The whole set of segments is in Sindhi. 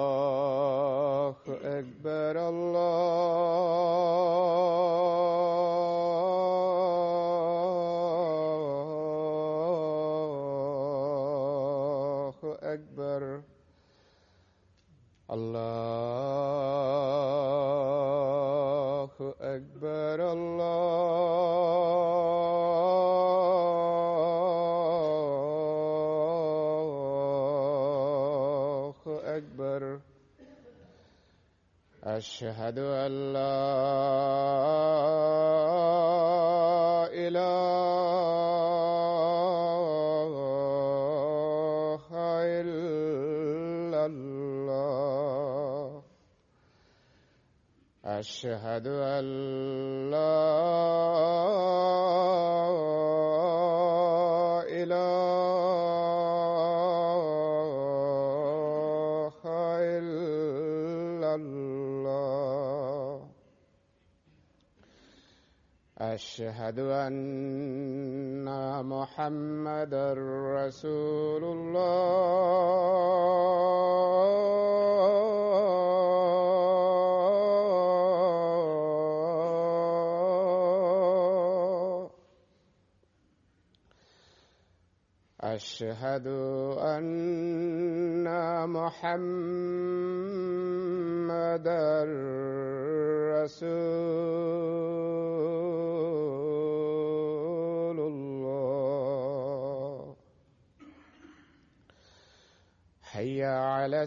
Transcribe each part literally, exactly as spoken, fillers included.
الله أكبر الله أكبر الله أكبر الله أكبر أشهد أن لا إله إلا الله أشهد أن لا إله إلا الله أشهد أن محمدا رسول الله أشهد أن محمدا رسول الله حي على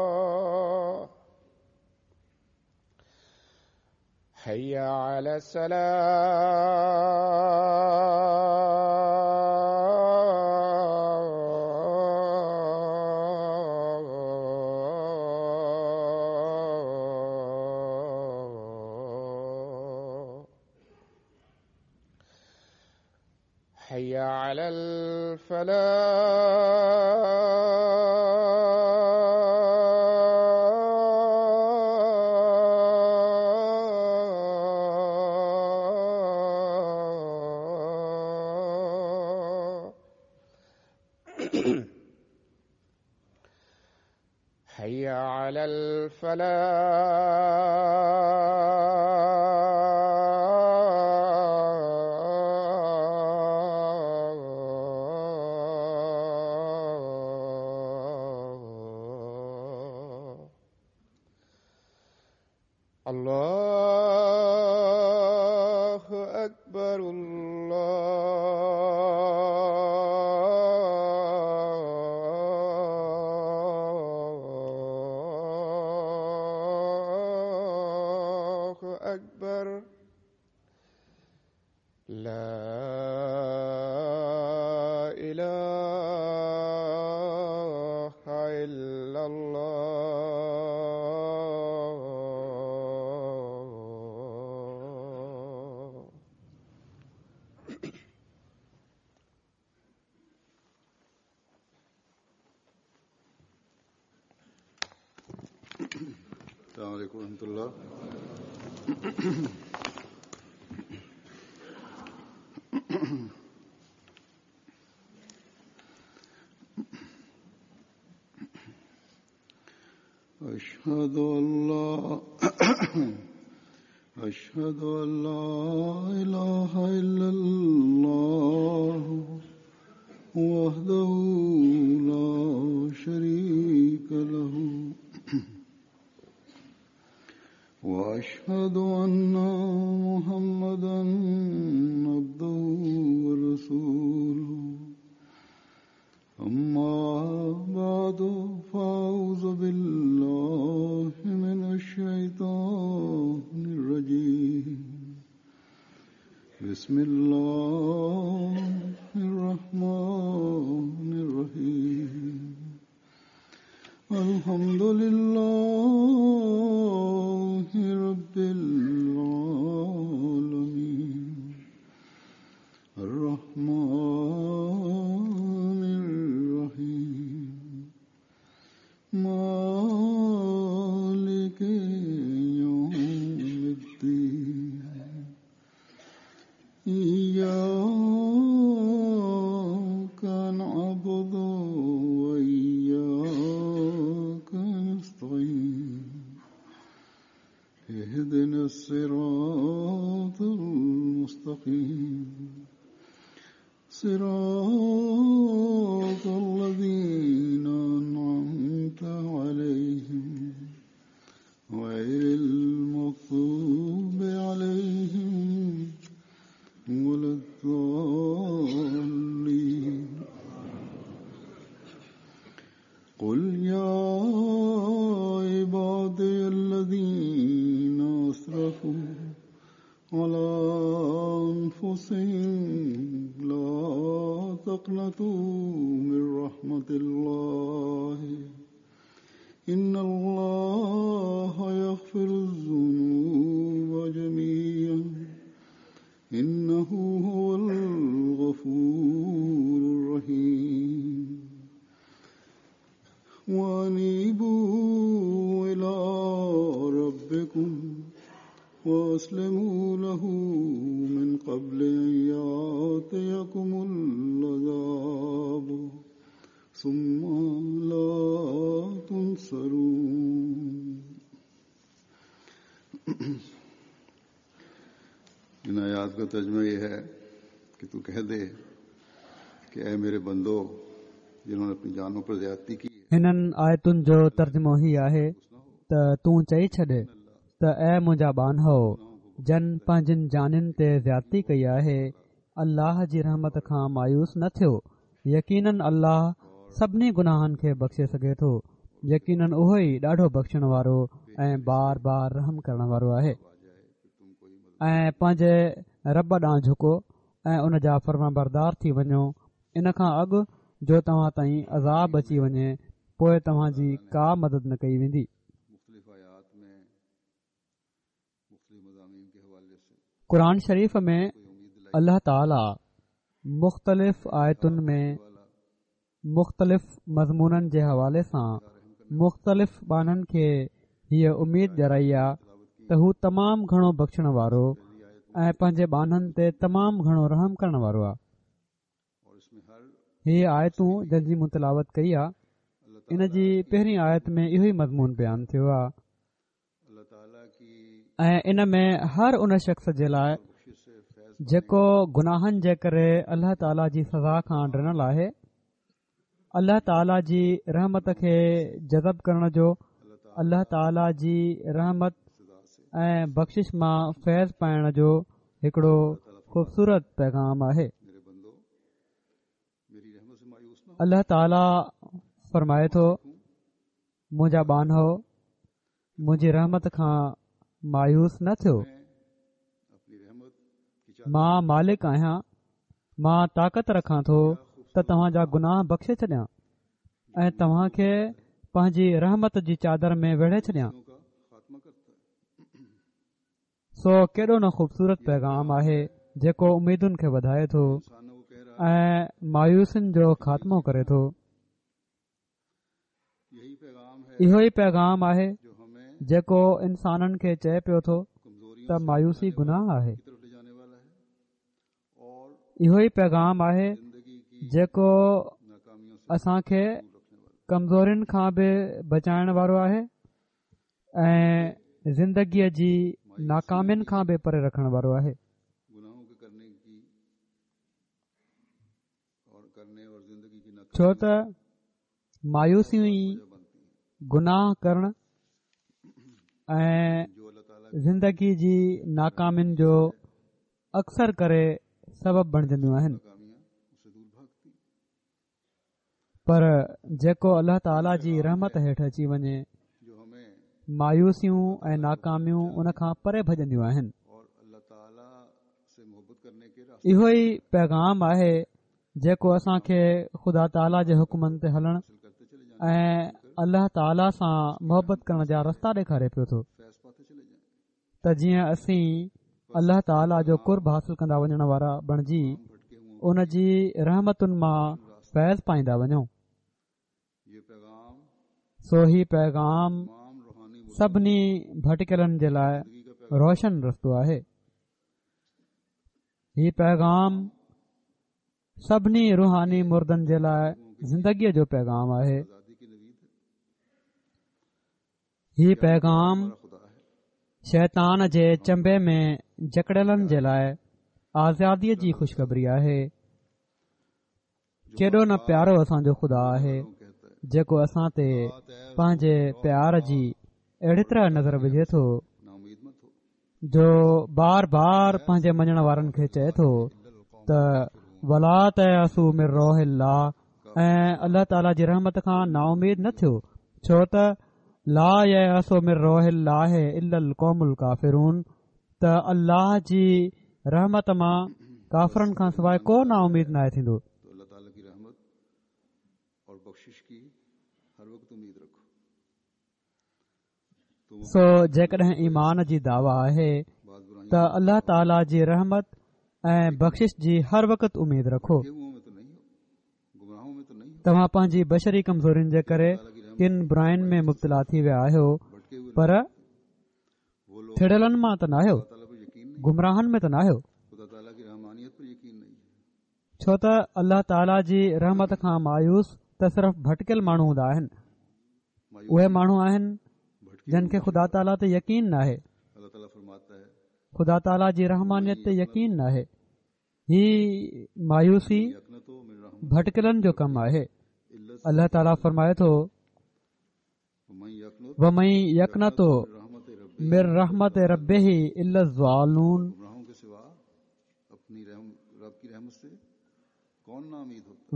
السلام حي على السلام حي على الفلاح حي على الفلاح الله أكبر الله أكبر لا إله إلا الله السلام عليكم ورحمة الله. أشهد أن لا أشهد أن لا إله إلا الله وحده لا شريك له وأشهد أن محمدا عبده ورسوله أما بعد فأعوذ بالله من الشيطان الرجيم بسم الله الرحمن الرحيم الحمد لله رب العالمين الرحمن الرحيم مالك الصراط المستقيم صراط الذين أنعمت عليهم غير المغضوب عليهم ولا الضالين. قل يا عبادي الذين أسرفوا على أنفسهم لا تقنطوا من رحمة الله إن الله يغفر الذنوب جميعا إنه هو الغفور الرحيم. وأنيبوا إلى ربكم وأسلموا له من قبل أن يأتيكم العذاب ثم لا تنصرون. इन आयात का तर्जुमा यह है कि तू कह दे कि ऐ मेरे बंदो जिन्होंने अपनी जानों पर ज्यादती की। हिननि आयतुनि जो तर्जुमो ही आहे त तूं चई छॾ त ऐ मुंहिंजा ॿान्हो जन पंहिंजनि जानियुनि ते ज़्यादती कई आहे, अल्लाह जी रहमत खां मायूस न थियो। यकीनन अल्लाह सभिनी गुनाहनि खे बख़्शे सघे थो। यकीनन उहो ई ॾाढो बख़्शण वारो ऐं बार बार रहम करण वारो आहे। ऐं पंहिंजे रब ॾांहुं झुको ऐं उन जा फरमाबरदार थी वञो, इन खां अॻु जो तव्हां ताईं अज़ाब अची वञे, पोइ तव्हांजी का मदद न कई वेंदी। क़ुरान शरीफ़ में अल्लाह ताला मुख़्तलिफ़ आयतुनि में मुख़्तलिफ़ मज़मूननि जे हवाले सां मुख़्तलिफ़ ॿान्हनि खे हीअ उमेद ॾियाराई आहे त हू तमामु घणो बख़्शण वारो ऐं पंहिंजे ॿान्हनि ते तमामु घणो रहम करण वारो आहे। हीअ आयतूं जंहिं जी मूं तिलावत कई आहे, इन जी पहिरीं आयत में इहो ई मज़मून बयानु थियो आहे ऐं इन में हर उन शख़्स जे लाइ जेको गुनाहनि जे करे अल्लाह ताला जी सज़ा खां ॾिनल आहे, अल्लाह ताला जी रहमत खे जज़ब करण जो, अल्लाह ताला जी रहमत ऐं बख़्शिश मां फैज़ पाइण जो हिकिड़ो ख़ूबसूरत पैगाम आहे। अल्लाह ताला फरमाए थो, मुंहिंजा ॿान्हो मुंहिंजी रहमत खां मायूस न थियो। मां मालिक आहियां, मां ताक़त रखां थो त तव्हांजा गुनाह बख़्शे छॾियां ऐं तव्हांखे पंहिंजी रहमत जी चादर में वेढ़े छॾियां। सो केॾो न ख़ूबसूरत पैगाम आहे जेको उमेदुनि खे वधाए थो ऐं मायूसियुनि जो ख़ात्मो करे थो। इहो ई पैगाम आहे जेको इंसाननि खे चए पियो थो त मायूसी गुनाह आहे। इहो ई पैगाम आहे जेको असांखे कमज़ोरियुनि खां बि बचाइण वारो आहे ऐं ज़िंदगीअ जी नाकामियुनि खां बि परे रखण वारो आहे। छो त मायूसियूं ई गुनाह करण ऐं ज़िंदगी जी नाकामियुनि जो अक्सर करे सबब बणजंदियूं आहिनि। पर जेको अल्लाह ताला जी रहमत हेठि अची वञे, मायूसियूं ऐं नाकामियूं उन खां परे भॼंदियूं आहिनि। इहो ई पैगाम आहे जेको असांखे ख़ुदा ताला जे हुक्मनि ते हलण ऐं अल्लाह ताला सां मोहबत करण जा रस्ता ॾेखारे पियो थो त जीअं असीं अल्लाह ताला जो कुर्ब हासिल कंदा वञण वारा बणजी उन जी रहमतुनि मां फैज़ पाईंदा वञूं। सो ही पैगाम सभिनी भटकलनि जे लाइ रोशन रस्तो आहे। ही पैगाम सभिनी रूहानी मुर्दनि जे लाइ ज़िंदगीअ जो पैगाम आहे। ही पैगाम शैतान जे चंबे में जकड़ियलनि जे लाइ आज़ादीअ जी ख़ुशख़बरी आहे। केॾो न प्यारो असांजो ख़ुदा आहे जेको असां ते पंहिंजे प्यार जी अहिड़ी तरह नज़र विझे थो जो बार बार पंहिंजे मञण वारनि खे चए थो त वला तयअसू मिन रौहिल्लाह, ऐं अलाह ताला जी रहमत खां नाउमीद न थियो, छो त ला यअसू मिन रौहिल्लाह इल्लल क़ौमुल काफ़िरून, त अल्लाह जी रहमत मां काफ़रनि खां सवाइ को नाउमीद नाहे थींदो। सो जेकॾहिं ईमान जी दावा आहे त अलाह ताला जी रहमत ऐं बख़्शिश जी हर वक़्त उमेद रखो। तव्हां पंहिंजी बशरी कमज़ोरियुनि जे करे किन बुराइनि में मुब्तला थी विया आहियो, पर थिड़ियलनि मां त नाहियो, गुमराहनि में त नाहियो, छो त अलाह ताला जी रहमत खां मायूस त सिर्फ़ भटकियल माण्हू हूंदा आहिनि। उहे माण्हू आहिनि जन खे ख़ुदा ताला ते यकीन नाहे, ख़ुदा ताला जी रहमानियत ते यकीन नाहे। ही मायूसी भटकियलनि जो कमु आहे। अलाह ताला फरमाए थो वमन यक़नतु मिन रहमत रब्बिही इल्ला ज़ालून,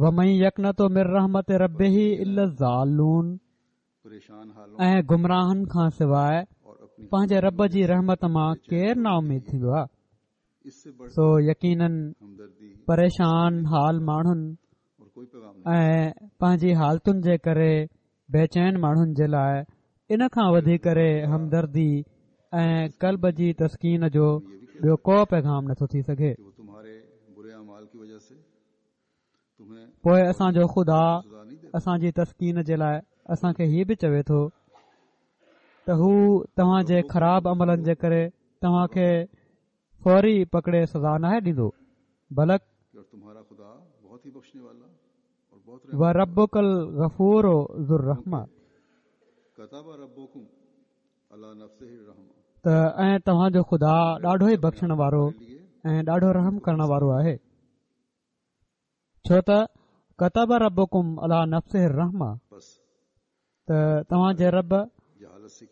वमन यक़नतु मिन रहमत रब्बिही इल्ला ज़ालून, ऐं गुमराहनि खां सवाइ पंहिंजे रब जी रहमत मां केरु नाउमीद थींदो आहे। सो यकीनन परेशान हाल माण्हुनि ऐं पंहिंजी हालतुनि जे करे बेचैन माण्हुनि जे लाइ इन खां वधी करे हमदर्दी ऐं क़ल्ब जी तस्कीन जो ॿियो को पैगाम नथो थी सघे। पोइ असांजो ख़ुदा असांजी तस्कीन जे लाइ असांखे हीअ बि चवे थो त हू तव्हांजे ख़राब अमलनि जे करे तव्हांखे फौरी पकड़े सज़ा नाहे ॾींदो, बलक व रब्बुकल गफूर ज़ुर रहमा, त ऐं तव्हांजो ख़ुदा ॾाढो ई बख़्शण वारो ऐं ॾाढो रहम करण वारो आहे। छो त कतब रब्बुकुम अला नफ्सिहि रहमा, त तव्हांजे रब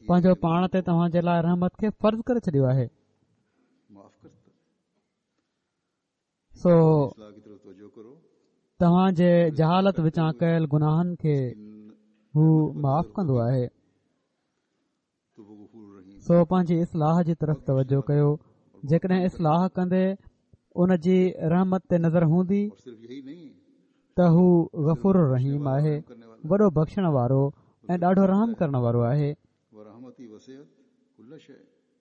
पंहिंजो पाण ते तव्हांजे लाइ रहमत खे फ़र्ज़ करे छॾियो आहे। सो तव्हांजे जहालत विचां कयल गुनाहनि खे हू माफ़ कंदो आहे। सो पंहिंजी इस्लाह जी तरफ़ तवजो कयो। जेकॾहिं इस्लाह कंदे उन जी रहमत ते नज़र हूंदी त हू गफ़ूर रहीम आहे, वॾो बख़्शण वारो ऐं ॾाढो रहम करण वारो आहे।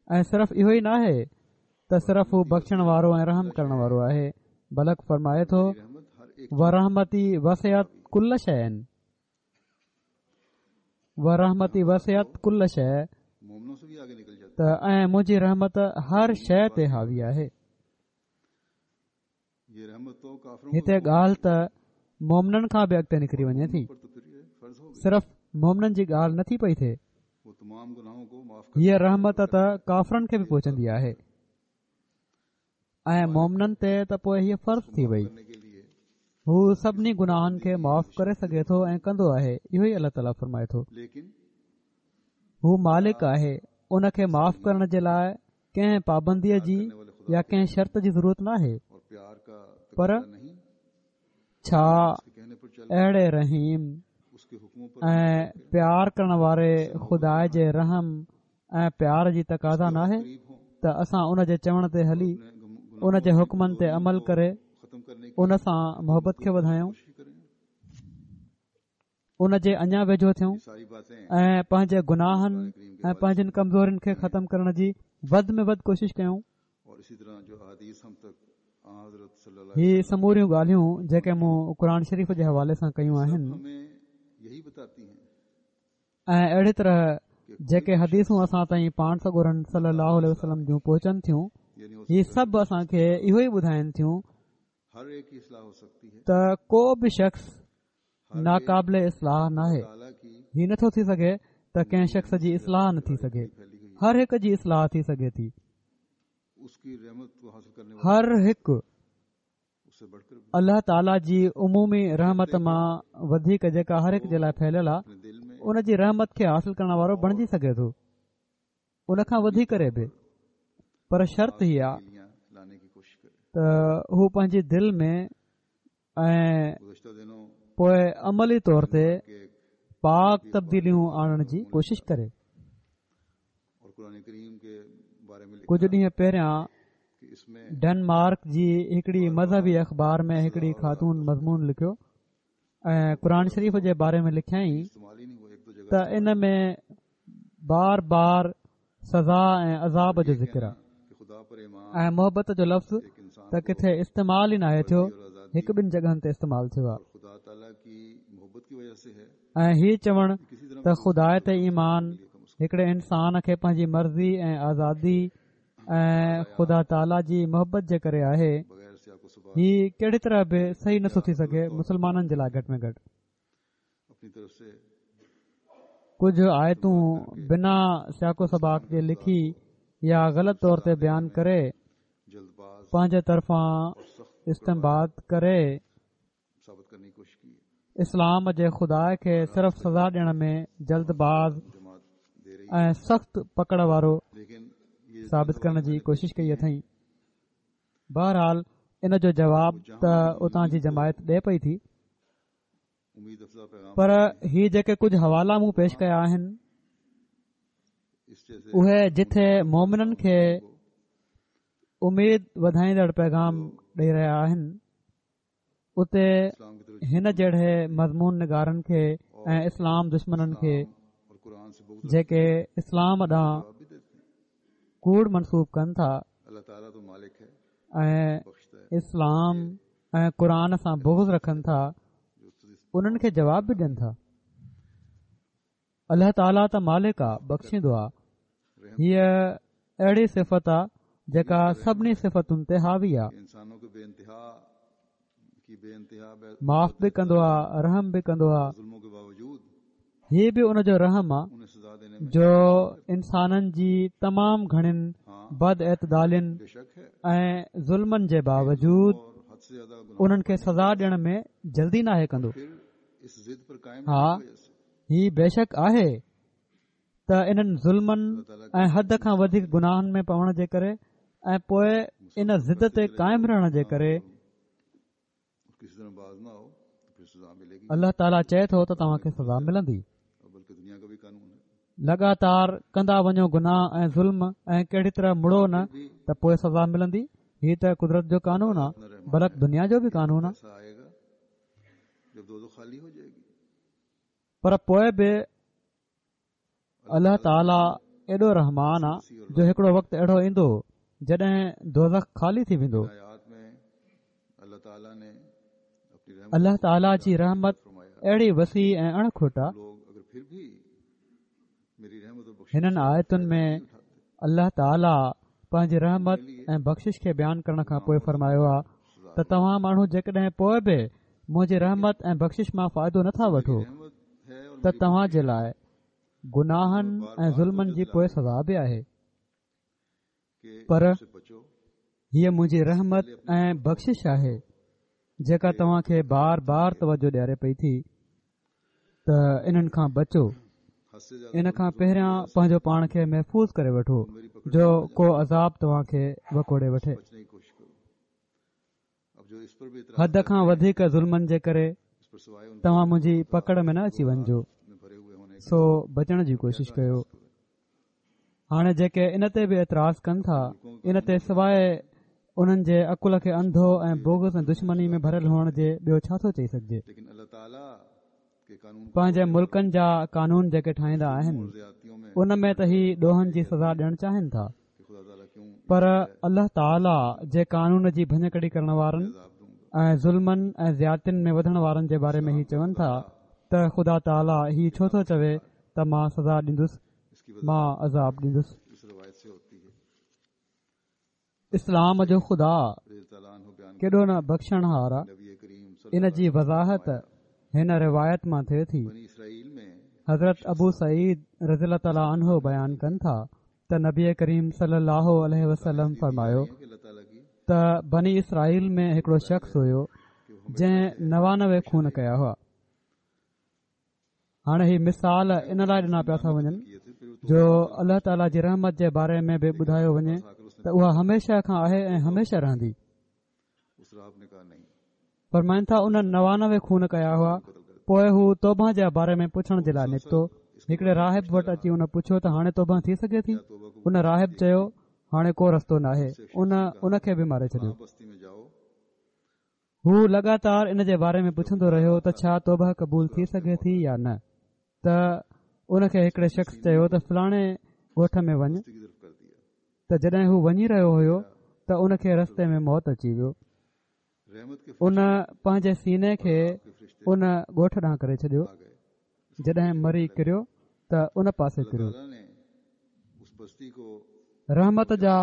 ऐं सिर्फ़ इहो ई नाहे त सिर्फ़ हू बख़्शण वारो ऐं रहम करण वारो आहे, बलक फरमाए थो वरहमती वसिअत कुल शैइन, वरहमती वसिअत कुल शै, त ऐं मुंहिंजी रहमत हर शइ ते हावी आहे। हिते ॻाल्हि त मोमननि खां बि अॻिते निकिरी वञे थी, सिर्फ़ मोमननि जी ॻाल्हि नथी पई थिए। हीअ रहमत त काफ़रनि खे बि पहुचंदी आहे ऐं मोमननि ते त पोइ हीअ फ़र्ज़ थी वई। हू सभिनी गुनाहनि खे माफ़ करे सघे थो ऐं कंदो आहे। इहो ई अलाह ताला फरमाए थो। हू मालिक आहे, उन खे माफ़ करण जे लाइ कंहिं पाबंदीअ जी या कंहिं शर्त जी ज़रूरत न आहे। पर छा अहिड़े रहीम ऐं प्यार करण वारे ख़ुदा जे रहम ऐं प्यार जी तक़ाज़ा नाहे त असां उन जे चवण ते हली उन जे हुक्मनि ते अमल करे उन सां मोहबत खे वधायूं, उन जे अञा वेझो थियूं ऐं पंहिंजे गुनाहनि ऐं पंहिंजनि कमज़ोरियुनि खे ख़तम करण जी वधि में वधि कोशिश कयूं। ही समूरियूं ॻाल्हियूं जेके मूं क़ुरान शरीफ़ जे हवाले सां कयूं आहिनि ऐं अहिड़ी तरह जेके हदीसूं असां ताईं पाण सڳورनि सल्लल्लाहु अलैहि वसल्लम जूं पहुचनि थियूं, ही सभु असांखे इहो ई ॿुधाइनि थियूं त को बि शख़्स नाक़ाबिल इस्लाह नाहे। ही नथो थी सघे त कंहिं शख़्स जी इस्लाह न थी सघे। هر هڪ جي اصلاح ٿي سگهي ٿي. هر هڪ الله تعاليٰ جي عمومي رحمت مان وڌيڪ جيڪا هر هڪ جي لاءِ ڦهليل آهي ان جي رحمت کي حاصل ڪرڻ وارو بڻجي سگهي ٿو، ان کان وڌي ڪري به. پر شرط هي آهي ته هو پنهنجي دل ۾ ۽ پوءِ عملي طور تي پاڪ تبديليون آڻڻ جي ڪوشش ڪري. ڪجهه ڏينهن پهريان ڊينمارڪ جي هڪڙي مذهبي اخبار ۾ هڪڙي خاتون مضمون لکيو ۽ قرآن شريف جي باري ۾ لکيائين ته ان ۾ بار بار سزا ۽ عذاب جو ذڪر آهي ۽ محبت جو لفظ ته ڪٿي استعمال ئي ناهي ٿيو، هڪ ٻن جڳهن تي استعمال ٿيو آهي. ۽ هي چوڻ ته خدا تي ايمان هڪڙي انسان کي پنهنجي مرضي ۽ آزادي ۽ خدا تعاليٰ جي محبت جي ڪري آهي، هي ڪهڙي طرح به صحيح نٿو ٿي سگهي مسلمانن جي لاءِ گهٽ ۾ گهٽ. ڪجهه آيتون بنا سياق و سباق جي لکي يا غلط طور تي بيان ڪري پنهنجي طرفان استنباط ڪري اسلام جي خدا کي صرف سزا ڏيڻ ۾ جلد باز ۽ سخت پڪڙ وارو ثابت ڪرڻ جي ڪوشش ڪئي اٿئي. بهرحال ان جو جواب ته اتان جي جماعت ڏي پئي ٿي، پر هي جيڪي ڪجهه حوالا مون پيش ڪيا آهن اهي جٿي مومنن کي اميد وڌائيندڙ پيغام ڏئي رهيا آهن، اتي هن جهڙي مضمون نگارن کي ۽ اسلام دشمنن کي جيڪي اسلام ڏانهن ڪوڙ منسوب ڪن ٿا ۽ اسلام ۽ قرآن سان بغض رکن ٿا، انهن کي جواب به ڏين ٿا. الله تعاليٰ ته مالڪ آ، بخشيندو آ. هيءَ اهڙي صفت آ جيڪا سڀني صفتن تي حاوي آ. معاف به ڪندو آ، رحم به ڪندو آ. هي به ان جو رحم آ جو انسانن جي تمام گهڻين بد اعتدالين ۽ ظلمن جي باوجود انهن کي سزا ڏيڻ ۾ جلدي ناهي ڪندو. ها، هي بيشڪ آهي ته انهن ظلمن ۽ حد کان وڌيڪ گناهن ۾ پوڻ جي ڪري ۽ پوءِ ان ضد تي قائم رهڻ جي ڪري الله تعاليٰ چئي ٿو ته توهان کي سزا ملندي. لڳاتار ڪندا وڃو گناهه ۽ ظلم ۽ ڪهڙي طرح مڙو نه ته پوءِ سزا ملندي. هي ته قدرت جو قانون آ، بلڪ دنيا جو به قانون آ. پر پوءِ به الله تعاليٰ ايڏو رحمان آ جو هڪڙو وقت اهڙو ايندو جڏهن دوزخ خالي ٿي ويندو. الله تعاليٰ جي رحمت اهڙي وسيع ۽ اڻ کٽ آ. هنن آيتن ۾ الله تعاليٰ پنهنجي رحمت ۽ بخشش کي بيان ڪرڻ کان پوءِ فرمايو آ ته توهان ماڻهو جيڪڏهن پوءِ به منهنجي رحمت ۽ بخشش مان فائدو نٿا وٺو ته توهان جي لاءِ گناهن ۽ ظلمن جي پوءِ سزا به آهي. پر هيءَ منهنجي رحمت ۽ بخشش آهي جيڪا توهان کي بار بار توجه ڏياري پئي ٿي ته انهن کان بچو. ان کان پهريان پنهنجو پاڻ کي محفوظ ڪري وٺو جو ڪو عذاب توهان کي وڪوڙي وٺي. حد کان وڌيڪ ظلمن جي ڪري توهان منهنجي پڪڙ ۾ نه اچي وڃجو، سو بچڻ جي ڪوشش ڪيو. هاڻي جيڪي ان تي به اعتراض ڪن ٿا ان تي سواءِ انهن جي عقل کي انڌو ۽ بغض ۽ دشمني ۾ ڀريل هئڻ جي ٻيو ڇا ٿو چئي سگهجي؟ پنهنجي ملڪن جا قانون جيڪي ٺاهيندا آهن ان ۾ ته هي ڏوهن جي سزا ڏيڻ چاهين ٿا، پر الله تعاليٰ جي قانون جي ڀڃڪڙي ڪرڻ وارن ۽ ظلمن ۽ زيادتين ۾ وڌڻ وارن جي باري ۾ هي چون ٿا ته خدا تعاليٰ هي ڇو ٿو چوي ته مان سزا ڏيندس، مان عذاب ڏيندس. اسلام جو خدا ڪيڏو نه بخشڻهار آ. ان جي وضاحت هن روايت مان ٿئي ٿي. حضرت ابو سعيد رضي الله تعاليٰ عنه بيان ڪن ٿا ته نبي ڪريم صلي الله عليه وسلم فرمايو ته بني اسرائيل ۾ هڪڙو شخص هيو جنهن نوانوي خون ڪيا هئا. هاڻي هي مثال ان لاءِ ڏنا پيا ٿا وڃن جو الله تعاليٰ جي رحمت جي باري ۾ به ٻڌايو وڃي ته اها هميشه کان آهي ۽ هميشه رهندي. فرمائن ٿا انهن نوانوي خون ڪيا هئا. پوءِ هو توبه جي باري ۾ پڇڻ جي لاءِ نڪتو. هڪڙي راهب وٽ اچي ان پڇيو ته هاڻي توبه ٿي سگهي ٿي؟ ان راهب چيو هاڻي ڪو رستو ناهي. ان ان کي به ماري ڇڏيو. هو لڳاتار ان جي باري ۾ پڇندو رهيو ته ڇا توبه قبول ٿي سگهي ٿي يا نه؟ ته ان کي هڪڙي شخص چيو ته فلاڻي ڳوٺ ۾ وڃ. ته جڏهن هو وڃي رهيو هيو ته ان کي رستي ۾ موت اچي ويو. ان پنهنجي سيني کي ان ڳوٺ ڏانهن ڪري ڇڏيو. جڏهن مري ڪريو ته ان پاسي ڪريو. رحمت جا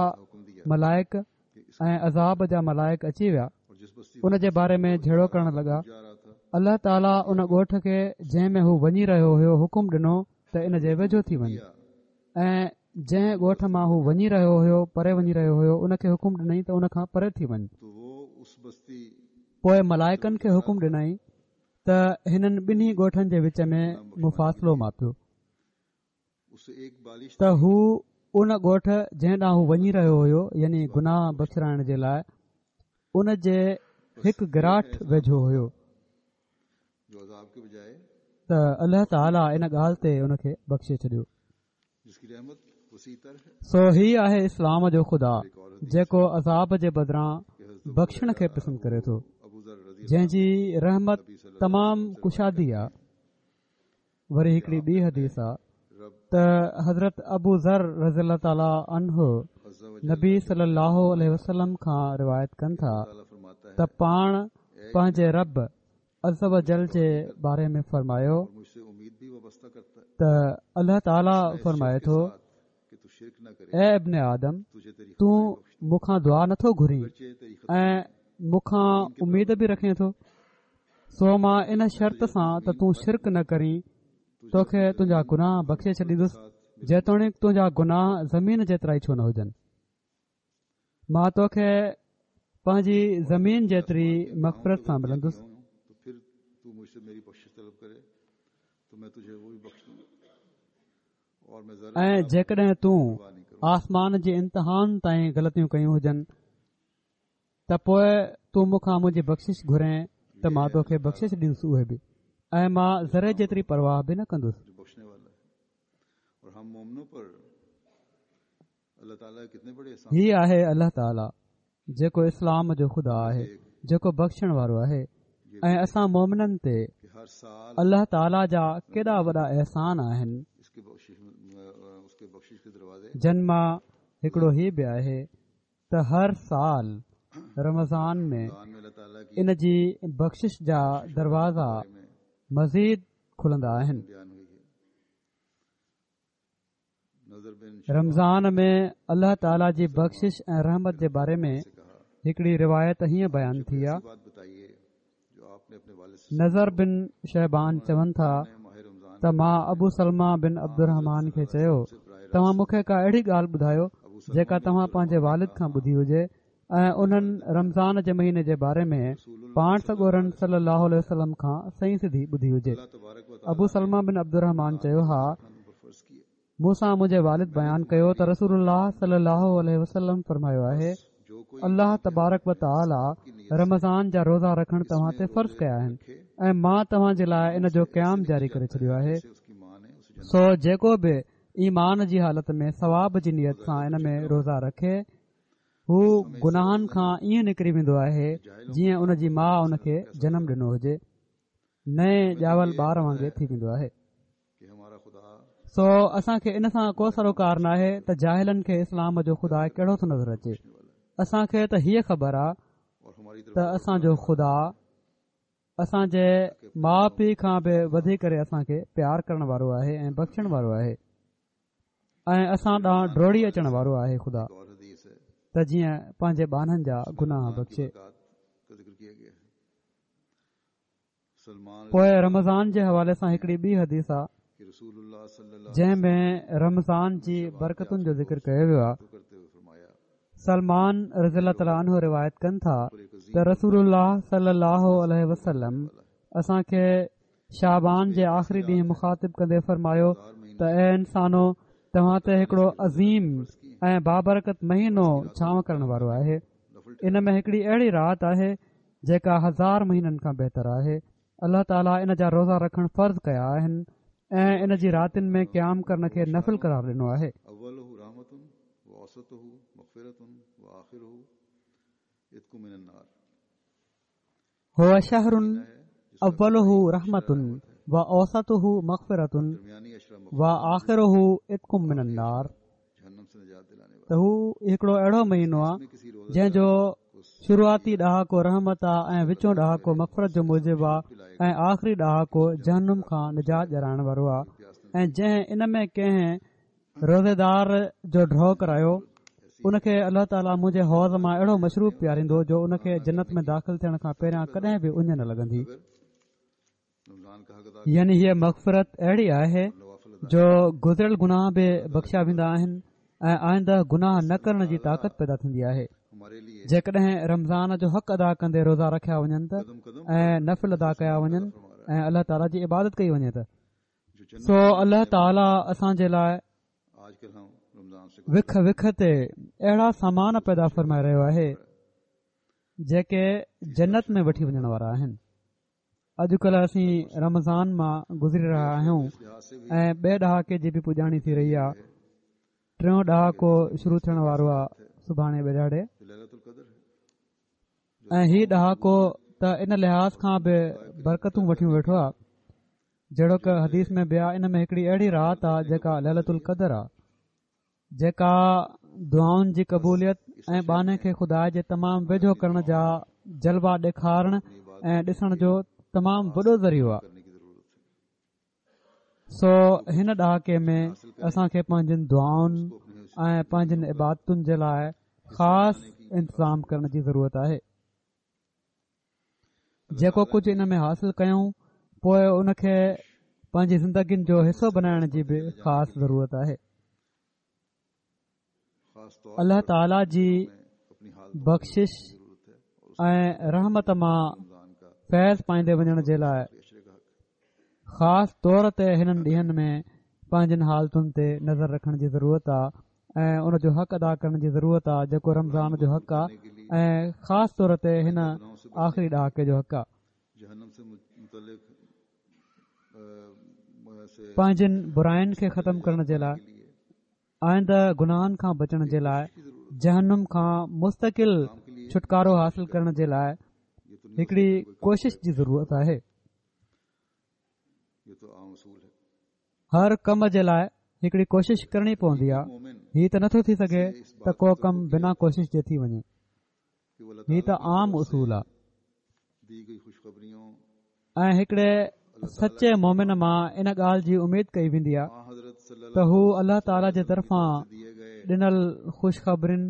ملائڪ ۽ عذاب جا ملائڪ اچي ويا. ان جي باري ۾ جهيڙو ڪرڻ لڳا. الله تعاليٰ ان ڳوٺ کي جنهن ۾ هو وڃي رهيو هيو حڪم ڏنو ته ان جي ويجهو ٿي وڃ، ۽ جنهن ڳوٺ مان هو وڃي رهيو هيو پري وڃي رهيو هيو ان کي حڪم ڏنائين ته ان کان پري ٿي وڃ. پوءِ ملائڪن کي حڪم ڏنائين ته هنن ٻنهي ڳوٺن جي وچ ۾ مفاصلو ماپيو. ته هو ان ڳوٺ جنهن ڏانهن هو وڃي رهيو هيو يعني گناهه بخشرائڻ جي لاءِ ان جي هڪ گراٺ ويجهو هيو. ته الله تعاليٰ ان ڳالهه تي ان کي بخشي ڇڏيو. سو هي آهي اسلام جو خدا جيڪو عذاب جي بدران بخشڻ کي پسند ڪري ٿو، جنهن جي رحمت تمام ڪشادي آهي. وري هڪڙي ٻي حديث آهي ته حضرت ابو ذر رضي الله تعاليٰ عنه نبي صلي الله عليه وسلم کان روايت ڪن ٿا ته پاڻ پنهنجي رب عز و جل جي باري ۾ فرمايو ته الله تعاليٰ فرمائي ٿو، اي ابن آدم، تون مون کان دعا نٿو گهرين ۽ مون کان اميد به رکين ٿو، سو مان ان شرط سان ته تون شرڪ نه ڪرين توکي تنهنجا گناهه بخشي ڇڏيندس، جيتوڻيڪ تنهنجا گناهه زمين جيترا ئي ڇو نه هجن. مان توکي پنهنجي زمين جيتري مغفرت سان ملندس. ۽ جيڪڏهن تون آسمان جي انتهائن تائين غلطيون ڪيون هجن ته پوءِ تون مون کان منهنجي بخشش گهرين ته مان توکي بخشش ڏيندس اهي به، ۽ مان ذري جيتري پرواهه به نه ڪندس. هي آهي الله تعاليٰ جيڪو اسلام جو خدا آهي، جيڪو بخشڻ وارو آهي، ۽ اسان مومنن تي الله تعاليٰ جا ڪيڏا وڏا احسان آهن، جن مان هڪڙو هي به آهي ته هر سال رمضان ۾ ان جي بخشش جا دروازا مزيد کلندا آهن. رمضان ۾ الله تعاليٰ جي بخشش ۽ رحمت جي باري ۾ هڪڙي روايت هيئن بيان ٿي آهي. نضر بن شيبان چون ٿا ته مان ابو سلمه بن عبدالرحمان کي چيو، توهان مون کي ڪا اهڙي ڳالهه ٻڌايو جيڪا توهان پنهنجي والد کان ٻڌي هجي ۽ انهن رمضان جي مهيني جي باري ۾ پاڻ سڳورن صلي الله عليه وسلم کان صحيح سڌي ٻڌي هجي. ابو سلمه بن عبدالرحمان چيو، ها، مون سان منهنجي والد بيان ڪيو ته رسول الله صلي الله عليه وسلم فرمايو آهي، الله تبارڪ و تعاليٰ رمضان جا روزا رکڻ توهان تي فرض ڪيا آهن ۽ مان توهان جي لاءِ ان جو قيام جاري ڪري ڇڏيو آهي. سو جيڪو به ايمان جي حالت ۾ ثواب جي نيت سان ان ۾ روزا رکي، هو گناهن کان ائين نڪري ويندو آهي جيئن ان جي ماءُ ان کي جنم ڏنو هجي، نئين ڄاول ٻار وانگي ٿي ويندو آهي. سو اسان کي ان سان ڪو سروڪار ناهي ته جاهلن کي اسلام جو خدا ڪهڙو ٿو نظر اچي. اسان کي ته هيءَ خبر آهي ته اسان جو خدا اسان جي ماءُ پيءُ کان به وڌي ڪري اسان کي پيار ڪرڻ وارو آهي ۽ بخشڻ وارو آهي ۽ اسان ڏانهن ڊوڙي اچڻ وارو آهي خدا، ته جيئن پنهنجي ٻانهن جا گناهه بخشي. پوءِ رمضان جي حوالي سان هڪڙي ٻي حديث آهي. جنهن ۾ رمضان جي برڪتن جو ذڪر ڪيو ويو آهي. سلمان رضي الله تعالٰي عنه روايت ڪن ٿا ته رسول الله صلي الله عليه وسلم اسان کي شعبان جي آخري ڏينهن مخاطب ڪندي فرمايو ته اي انسانو، توهان تي هڪڙو عظيم ۽ بابرڪت مهينو ڇانو ڪرڻ وارو آهي. ان ۾ هڪڙي اهڙي رات آهي جيڪا هزار مهينن کان بهتر آهي. الله تعاليٰ ان جا روزا رکڻ فرض ڪيا آهن ۽ ان جي راتين ۾ قيام ڪرڻ کي نفل قرار ڏنو آهي. هو شهر اوله رحمة واوسطه مغفرة واخره عتق من النار. ته هو هڪڙو اهڙو مهينو آهي جنهن جو شروعاتي ڏهاڪو رحمت آهي ۽ وچون ڏهاڪو مغفرت جو موجب آهي ۽ آخري ڏهاڪو جهنم کان نجات ڏيارائڻ وارو آهي. ۽ جنهن ان ۾ ڪنهن روزيدار جو ڍؤ ڪرايو ان کي الله تعاليٰ منهنجي حوض مان اهڙو مشروب پياريندو جو ان کي جنت ۾ داخل ٿيڻ کان پهريان ڪڏهن به اڃ نه لڳندي. يعني هيء مغفرت اهڙي آهي جو گذريل گناهه به بخشيا ويندا آهن ۽ آئنده گناهه نه ڪرڻ جي طاقت پيدا ٿيندي آهي. جيڪڏهن رمضان جو حق ادا ڪندي روزا رکيا وڃن ته ۽ نفل ادا ڪيا وڃن ۽ الله تعاليٰ جي عبادت ڪئي وڃي ته سو الله تعاليٰ اسان جي لاء وک وک تي اهڙا سامان پيدا فرمائي رهيو آهي جيڪي جنت ۾ وٺي وڃڻ وارا آهن. اڄڪلهه اسين رمضان مان گذري رهيا آهيون ۽ ٻئي ڏهاڪي جي به پڄاڻي ٿي رهي آهي. ٽيون ڏهاڪو شروع ٿيڻ وارو آهي سڀاڻي ٻئي ڏهاڙي، ۽ هي ڏهاڪو ته ان لحاظ کان به برڪتون وٺيون ويٺو آهي جهڙوڪ حديث ۾ به آهي. ان ۾ هڪڙي اهڙي رات آهي جيڪا ليلة القدر آهي، جيڪا دعائن جي قبوليت ۽ ٻانهي کي خدا جي تمام ويجهو ڪرڻ جا جلوا ڏيکارڻ ۽ ڏسڻ جو تمام وڏو ذريعو آهي. سو هن ڏهاڪي ۾ اسان کي پنهنجين دعائن ۽ پنهنجين عبادتن جي لاء خاص انتظام ڪرڻ جي ضرورت آهي. جيڪو ڪجهه ان ۾ حاصل ڪيون پوءِ ان کي پنهنجي زندگين جو حصو بنائڻ جي به خاص ضرورت آهي. الله تعاليٰ جي بخشش ۽ رحمت مان فيض پائيندي وڃڻ جي لاءِ خاص طور تي هنن ڏينهن ۾ پنهنجن حالتن تي نظر رکڻ جي ضرورت آهي ۽ ان جو حق ادا ڪرڻ جي ضرورت آهي جيڪو رمضان جو حق آهي ۽ خاص طور تي هن آخري ڏهاڪي جو حق آهي. پنهنجن براين کي ختم ڪرڻ جي لاءِ، آئنده گناهن کان بچڻ جي لاءِ، جهنم کان مستقل ڇوٽڪارو حاصل ڪرڻ جي لاءِ هڪڙي ڪوشش جي ضرورت آهي. هر ڪم جي لاءِ هڪڙي ڪوشش ڪرڻي پوندي آهي. هي ته نٿو ٿي سگهي ته ڪو ڪم بنا ڪوشش جي ٿي وڃي. هي ته عام اصول آهي. ۽ هڪڙي سچي مومن مان ان ڳالهه جي اميد ڪئي ويندي آهي ته هو الله تعاليٰ جي طرفان ڏنل خوشخبرين،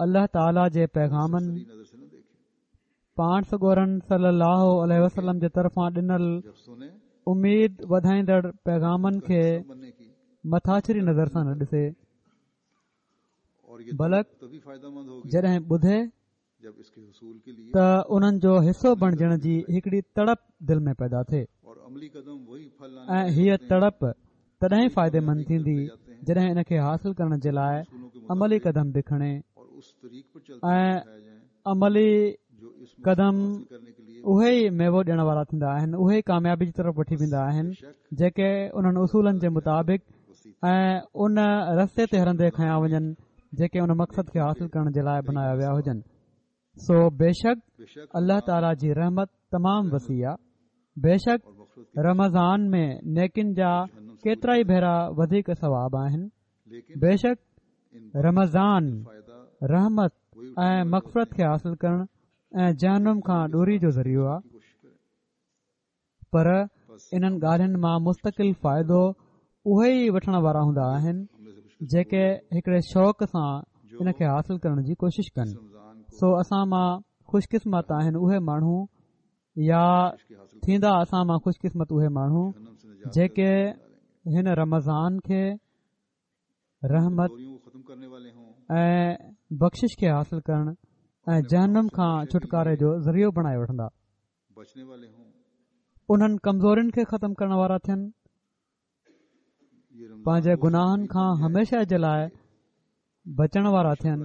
الله تعاليٰ جي پيغامن، پاڻ سڳورن صلي الله عليه وسلم جي طرفان ڏنل اميد وڌائيندڙ پيغامن کي مٿاڇري نظر سان نه ڏسي، بلڪ جڏهن ٻڌي ته انهن جو حصو بڻجڻ جي هڪڙي تڙپ دل ۾ پيدا ٿئي. ۽ هيءَ تڙپ تڏهن فائديمند ٿيندي جڏهن ان کي حاصل ڪرڻ جي لاءِ عملي قدم به کڻي، ۽ عملي قدم اهي ئي ميوو ڏيڻ وارا ٿيندا آهن، اهي ئي ڪاميابي جي طرف وٺي ويندا آهن جيڪي انهن اصولن جي مطابق ۽ ان رستي تي هلندي کنيا وڃن جيڪي ان مقصد کي حاصل ڪرڻ جي لاءِ بنايا ويا هجن. سو بيشڪ الله تعاليٰ جي رحمت تمام وسيع آهي. بيشڪ رمضان ۾ نيڪين جا ڪيترا ئي ڀيرا وڌيڪ ثواب آهن. بيشڪ رمضان رحمت ۽ مغفرت کي حاصل ڪرڻ ۽ جهنم کان ڏوري جو ذريعو آهي، پر انهن ڳالهين مان مستقل فائدو اهي ئي وٺڻ وارا هوندا آهن جيڪي هڪڙي شوق سان ان کي حاصل ڪرڻ جي ڪوشش ڪن. سو اسان مان خوش قسمت آهن اهي ماڻهو يا ٿيندا اسان مان خوش قسمت اهي ماڻهو جيڪي هن رمضان کي رحمت ۽ بخشش کي حاصل ڪرڻ ۽ جهنم کان ڇوٽڪاري جو ذريعو بڻائي وٺندا. انهن ڪمزورين کي ختم ڪرڻ وارا ٿين، پنهنجي گناهن کان هميشه جي لاءِ بچڻ وارا ٿين.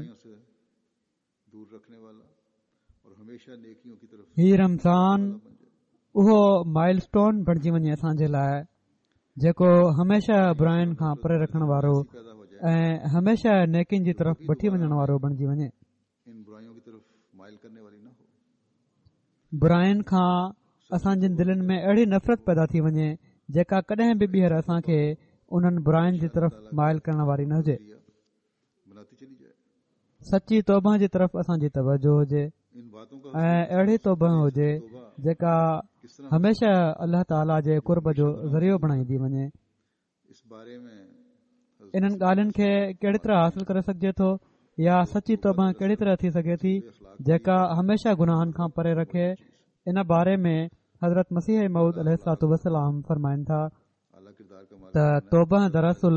هي رمضان اهو مائل اسٽون بڻجي وڃي اسان جي لاءِ جيڪو هميشه براين کان پري رکڻ وارو ۽ هميشه نيڪين جي طرف وٺي وڃڻ وارو بڻجي وڃي. براين کان اسان جي دلن ۾ اهڙي نفرت پيدا ٿي وڃي جيڪا ڪڏهن به ٻيهر اسان کي انهن براين جي طرف مائل ڪرڻ واري نه هجي. سچي توبه جي طرف اسان جي توجه هجي ۽ اهڙي توبه هجي جيڪا هميشه الله تعاليٰ جي قرب جو ذريعو بڻائيندي وڃي. انهن ڳالهين کي ڪهڙي طرح حاصل ڪري سگهجي ٿو يا سچي توبه ڪهڙي طرح ٿي سگهي ٿي جيڪا هميشه گناهن کان پري رکي؟ ان باري ۾ حضرت مسيح موعود عليه الصلوة والسلام فرمائن ٿا ته توبه دراصل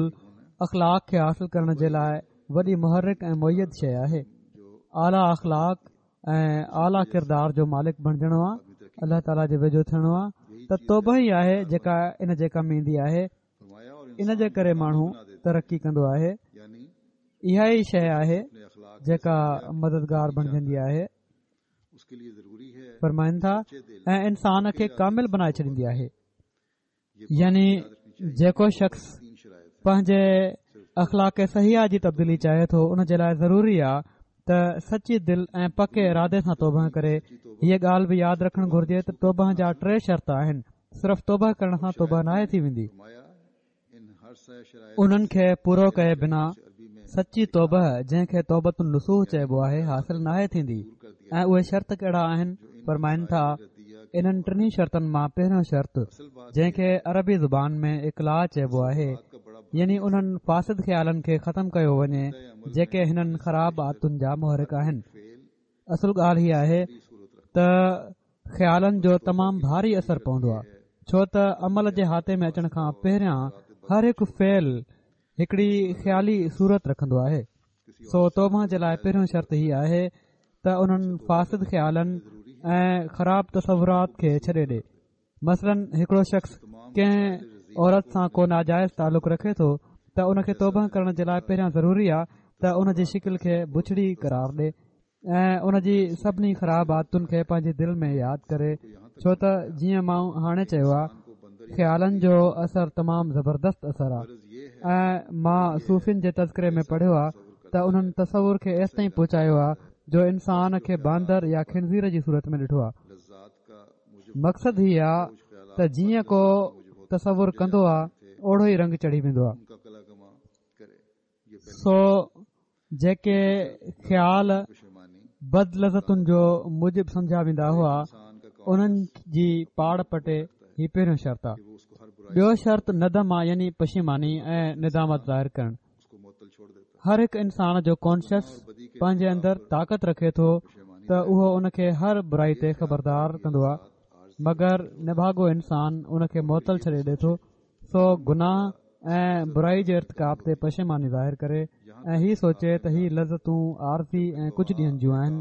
اخلاق کي حاصل ڪرڻ جي لاءِ وڏي محرڪ ۽ مؤيد شيءِ آهي. اعليٰ اخلاق ۽ اعليٰ ڪردار جو مالڪ بڻجڻو آهي، الله تعاليٰ جي ويجهو ٿيڻو آهي ته توبه ئي آهي جيڪا ان جي ڪم ايندي آهي. ان جي ڪري ماڻهو ترقي ڪندو آهي. اها ئي شيءِ آهي جيڪا مددگار بڻجندي آهي. فرمائن ٿا ۽ انسان کي ڪامل بڻائي ڇڏيندي آهي. يعني جيڪو شخص پنهنجي اخلاق صحيحه جي تبديلي چاهي ٿو ان جي لاءِ ضروري آهي ته سچي دل ۽ پڪي ارادي سان توبه ڪري. هيءَ ڳالهه به ياد رکڻ گهرجي ته توبه جا ٽي شرط آهن. صرف توبه ڪرڻ سان توبه ناهي ٿي ويندي. انهن کي پورو ڪئي بنا سچي توبه جنهن کي توبة النصوح چئبو آهي حاصل ناهي ٿيندي. ۽ اهي شرط ڪهڙا آهن؟ فرمائن ٿا انهن ٽنهي شرطن مان پهريون شرط جنهن کي عربي زبان ۾ اقلاع چئبو آهي، يعني انهن فاسد خيالن کي ختم ڪيو وڃي جيڪي هنن خراب عادتن جا محرڪ آهن. اصل ڳالهه هيءَ آهي ته خيالن جو تمام ڀاري اثر پوندو آهي، ڇو ته عمل جي حاطي ۾ اچڻ کان پهريان هر هڪ فعل هڪڙي خيالي صورت رکندو آهي. سو توبه جي لاءِ پهريون شرط هي آهي ته انهن فاسد خيالن ۽ خراب تصورات کي ڇڏي ڏي. مثلاً هڪڙو شخص ڪنهن عورت سان ڪو ناجائز تعلق رکي ٿو ته ان کي توبه ڪرڻ جي لاءِ پهريان ضروري آهي ته ان جي شڪل کي بڇڙي قرار ڏي ۽ ان جي سڀني خراب عادتن کي پنهنجي دل ۾ ياد ڪري، ڇو ته جيئن مان هاڻي چيو آهي خيالن جو اثر تمام زبردست اثر آهي. ۽ مان صوفين جي تذڪري ۾ پڙهيو آهي ته انهن تصور کي ايستائين پهچايو آهي جو انسان کي باندر يا خنزير جي صورت ۾ ڏٺو آهي. مقصد هي آهي ته جيئن ڪو تصور ڪندو آهي اوڙو ئي رنگ چڙهي ويندو آهي. سو جيڪي خيال بد لذتن جو موجب سمجهيا ويندا هئا انهن جي پاڙ پٽي هي پهريون شرط آهي. ٻيو شرط ندم آهي، يعني پشيماني ۽ ندامت ظاهر ڪرڻ. هر هڪ انسان جو ڪانشس پنهنجي اندر طاقت رکي ٿو ته اهو ان کي هر برائي تي خبردار ڪندو آهي، مگر نڀاڳو انسان ان کي معطل ڇڏي ڏي ٿو. سو گناهه ۽ برائي جي ارتڪاب تي پشيماني ظاهر ڪري ۽ هي سوچي ته هي لذتون عارضي ۽ ڪجهه ڏينهن جون آهن،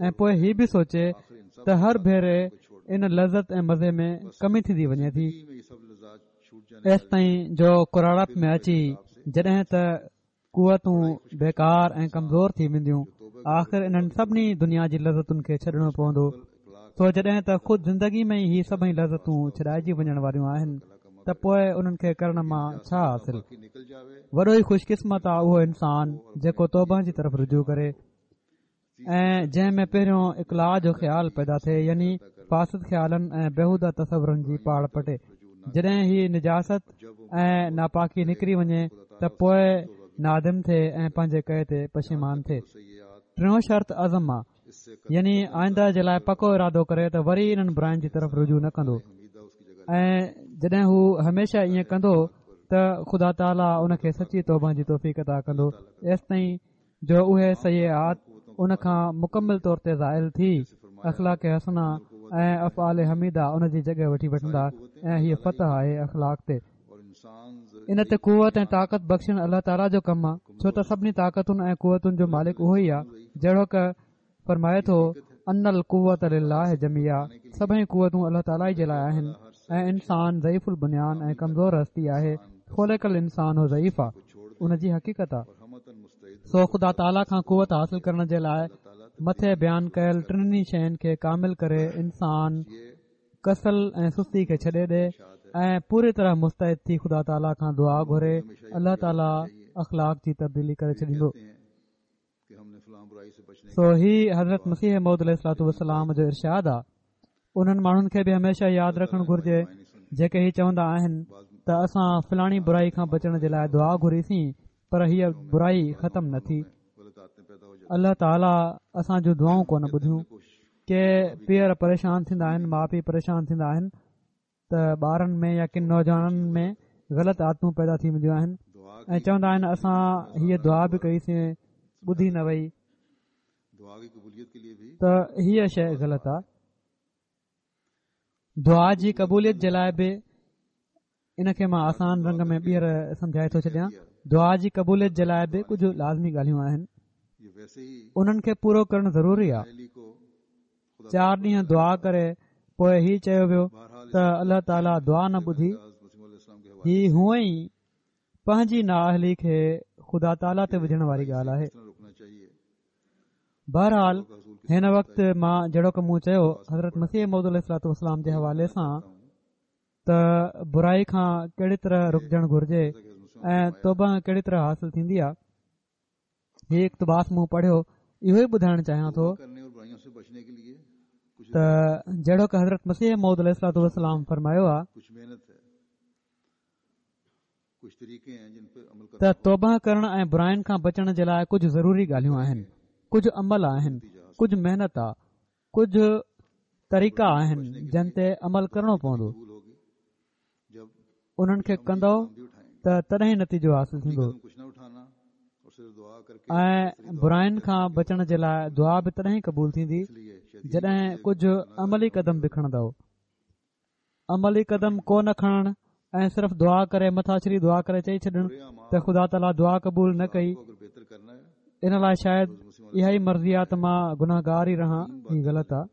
۽ پوءِ هي به سوچي ته هر ڀيري ان لذت ۽ مزي ۾ ڪمي ٿيندي وڃي ٿي، ايستائين جو ڪراڙپ ۾ اچي جڏهن ته قوتون بيڪار ۽ ڪمزور ٿي وينديون، آخر انهن سڀني دنيا جي لذتن کي ڇڏڻو پوندو. سو جڏهن ته خود زندگي ۾ ئي هي سڀئي لذتون ڇڏائجي وڃڻ واريون آهن ته پوءِ انهن کي ڪرڻ مان ڇا حاصل؟ وڏو ئي خوش قسمت آهي اهو انسان جيڪو توبه جي طرف رجوع ڪري ۽ جنهن ۾ پهريون اقلاع جو خيال پيدا ٿئي، يعني فاسد خيالن ۽ بيهوده تصورن جي پاڙ پٽي. جڏهن هي نجاست ۽ ناپاڪي نڪري وڃي ته پوءِ نادم ٿئي ۽ پنهنجي ڪئي تي پشيمان ٿئي. ٽيون شرط عزم آهي، يعني آئنده جي لاءِ پڪو ارادو ڪري ته وري انهن براين جي طرف رجوع نه ڪندو، ۽ جڏهن هو هميشه ائين ڪندو ته خدا تعاليٰ ان کي سچي توبه جي توفيق عطا ڪندو، ايستائين جو اهي سيئات ان کان مڪمل طور تي زائل ٿي اخلاق حسنه ۽ افعال حميده ان جي جڳهه وٺي وٺندا ۽ هيء فتح آهي اخلاق تي. ان تي قوت ۽ طاقت بخشڻ الله تعاليٰ جو ڪم آهي، ڇو ته سڀني طاقتن ۽ قوتن جو مالڪ اهو ئي آهي. جهڙوڪ فرمائي ٿو ان القوة لله جميعا، سڀئي قوتون الله تعاليٰ جي لاءِ آهن ۽ انسان ضعيف البنيان ۽ ڪمزور هستي آهي. خلق الانسان ضعيفا ان جي حقيقت آهي. سو خدا تعاليٰ کان قوت حاصل ڪرڻ جي لاءِ مٿي بيان ڪيل ٽنهي شين کي ڪامل ڪري انسان ڪسل ۽ سستي کي ڇڏي ڏي ۽ پوري طرح مستعد ٿي خدا تعاليٰ کان دعا گهري، الله تعاليٰ اخلاق جي تبديلي ڪري ڇڏيندو. سو هي حضرت مسيح موعود عليه الصلوة والسلام جو ارشاد آ. انهن ماڻهن کي به هميشه ياد رکڻ گهرجي جيڪي هي چوندا آهن ته اسان فلاڻي برائي کان بچڻ جي لاءِ دعا گهريسين پر هيءَ برائي ختم نه ٿي، الله تعاليٰ اسان جون دعائون ڪونه ٻڌيون. ڪي پيئر پريشان ٿيندا آهن، ماءُ پيءُ پريشان ٿيندا آهن ته ٻارن ۾ يا ڪن نوجوانن ۾ غلط عادتون پيدا ٿي وينديون آهن ۽ چوندا آهن اسان هيءَ دعا به ڪئيسين ٻڌي نه وئي، ته هيءَ شيءِ غلط آهي. دعا جي قبوليت جي لاءِ به ان کي مان آسان رنگ ۾ ٻيهر سمجهائي ٿو ڇڏيان. دعا جي قبوليت جي لاءِ به ڪجهه لازمي ڳالهيون آهن، انهن کي پورو ڪرڻ ضروري آهي. چار ڏينهن دعا ڪري پوءِ هي چيو ويو ته الله تعاليٰ دعا نه ٻڌي، هي هونئن ئي پنهنجي نااهلي کي خدا تعاليٰ تي وجهڻ واري ڳالهه آهي. بهرحال هن وقت مان جهڙوڪ مون چيو حضرت مسيح موعود عليه الصلوة والسلام جي حوالي سان ته برائي کان ڪهڙي طرح رڪجڻ گهرجي ۽ توبه ڪهڙي طرح حاصل ٿيندي آهي، هي اقتباس مون پڙهيو. اهو ئي ٻڌائڻ چاهيان ٿو ته جهڙوڪ حضرت مسيح موعود عليه الصلوة والسلام فرمايو آهي ته توبه ڪرڻ ۽ براين کان بچڻ جي لاءِ ڪجهه ضروري ڳالهيون آهن، ڪجهه عمل آهن، ڪجهه محنت آهي، ڪجهه طريقا آهن جن تي عمل ڪرڻو پوندو. انهن کي ڪندو ته تڏهن نتيجو حاصل ٿيندو ۽ براين کان بچڻ جي لاءِ دعا به تڏهن قبول ٿيندي جڏهن ڪجهه عملي قدم به کڻندؤ. عملي قدم ڪو نه کڻڻ ۽ صرف دعا ڪري مٿاڇري دعا ڪري چئي ڇڏڻ ته خدا تعاليٰ دعا قبول نه ڪئي، ان لاءِ شايد اها ئي مرضي آهي ته مان گناهگار ئي رهان، هي غلط آهي.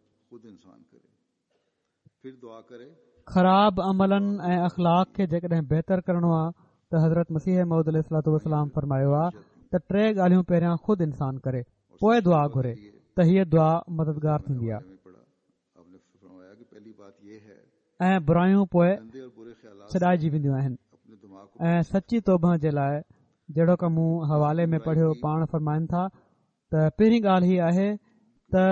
خراب عملن ۽ اخلاق کي جيڪڏهن بهتر ڪرڻو آهي ته حضرت مسيح موعود عليه الصلوة والسلام فرمايو آهي ته ٽي ڳالهيون پهريان خود انسان ڪري پوءِ دعا گهري ته هيءَ دعا مددگار ٿيندي آهي ۽ برايون پوءِ ڇڏائجي وينديون آهن. ۽ سچي توبه جي لاءِ جهڙوڪ مون حوالي ۾ پڙهيو، پاڻ فرمائن ٿا ته پهرين ڳالهه هيءَ آهي ته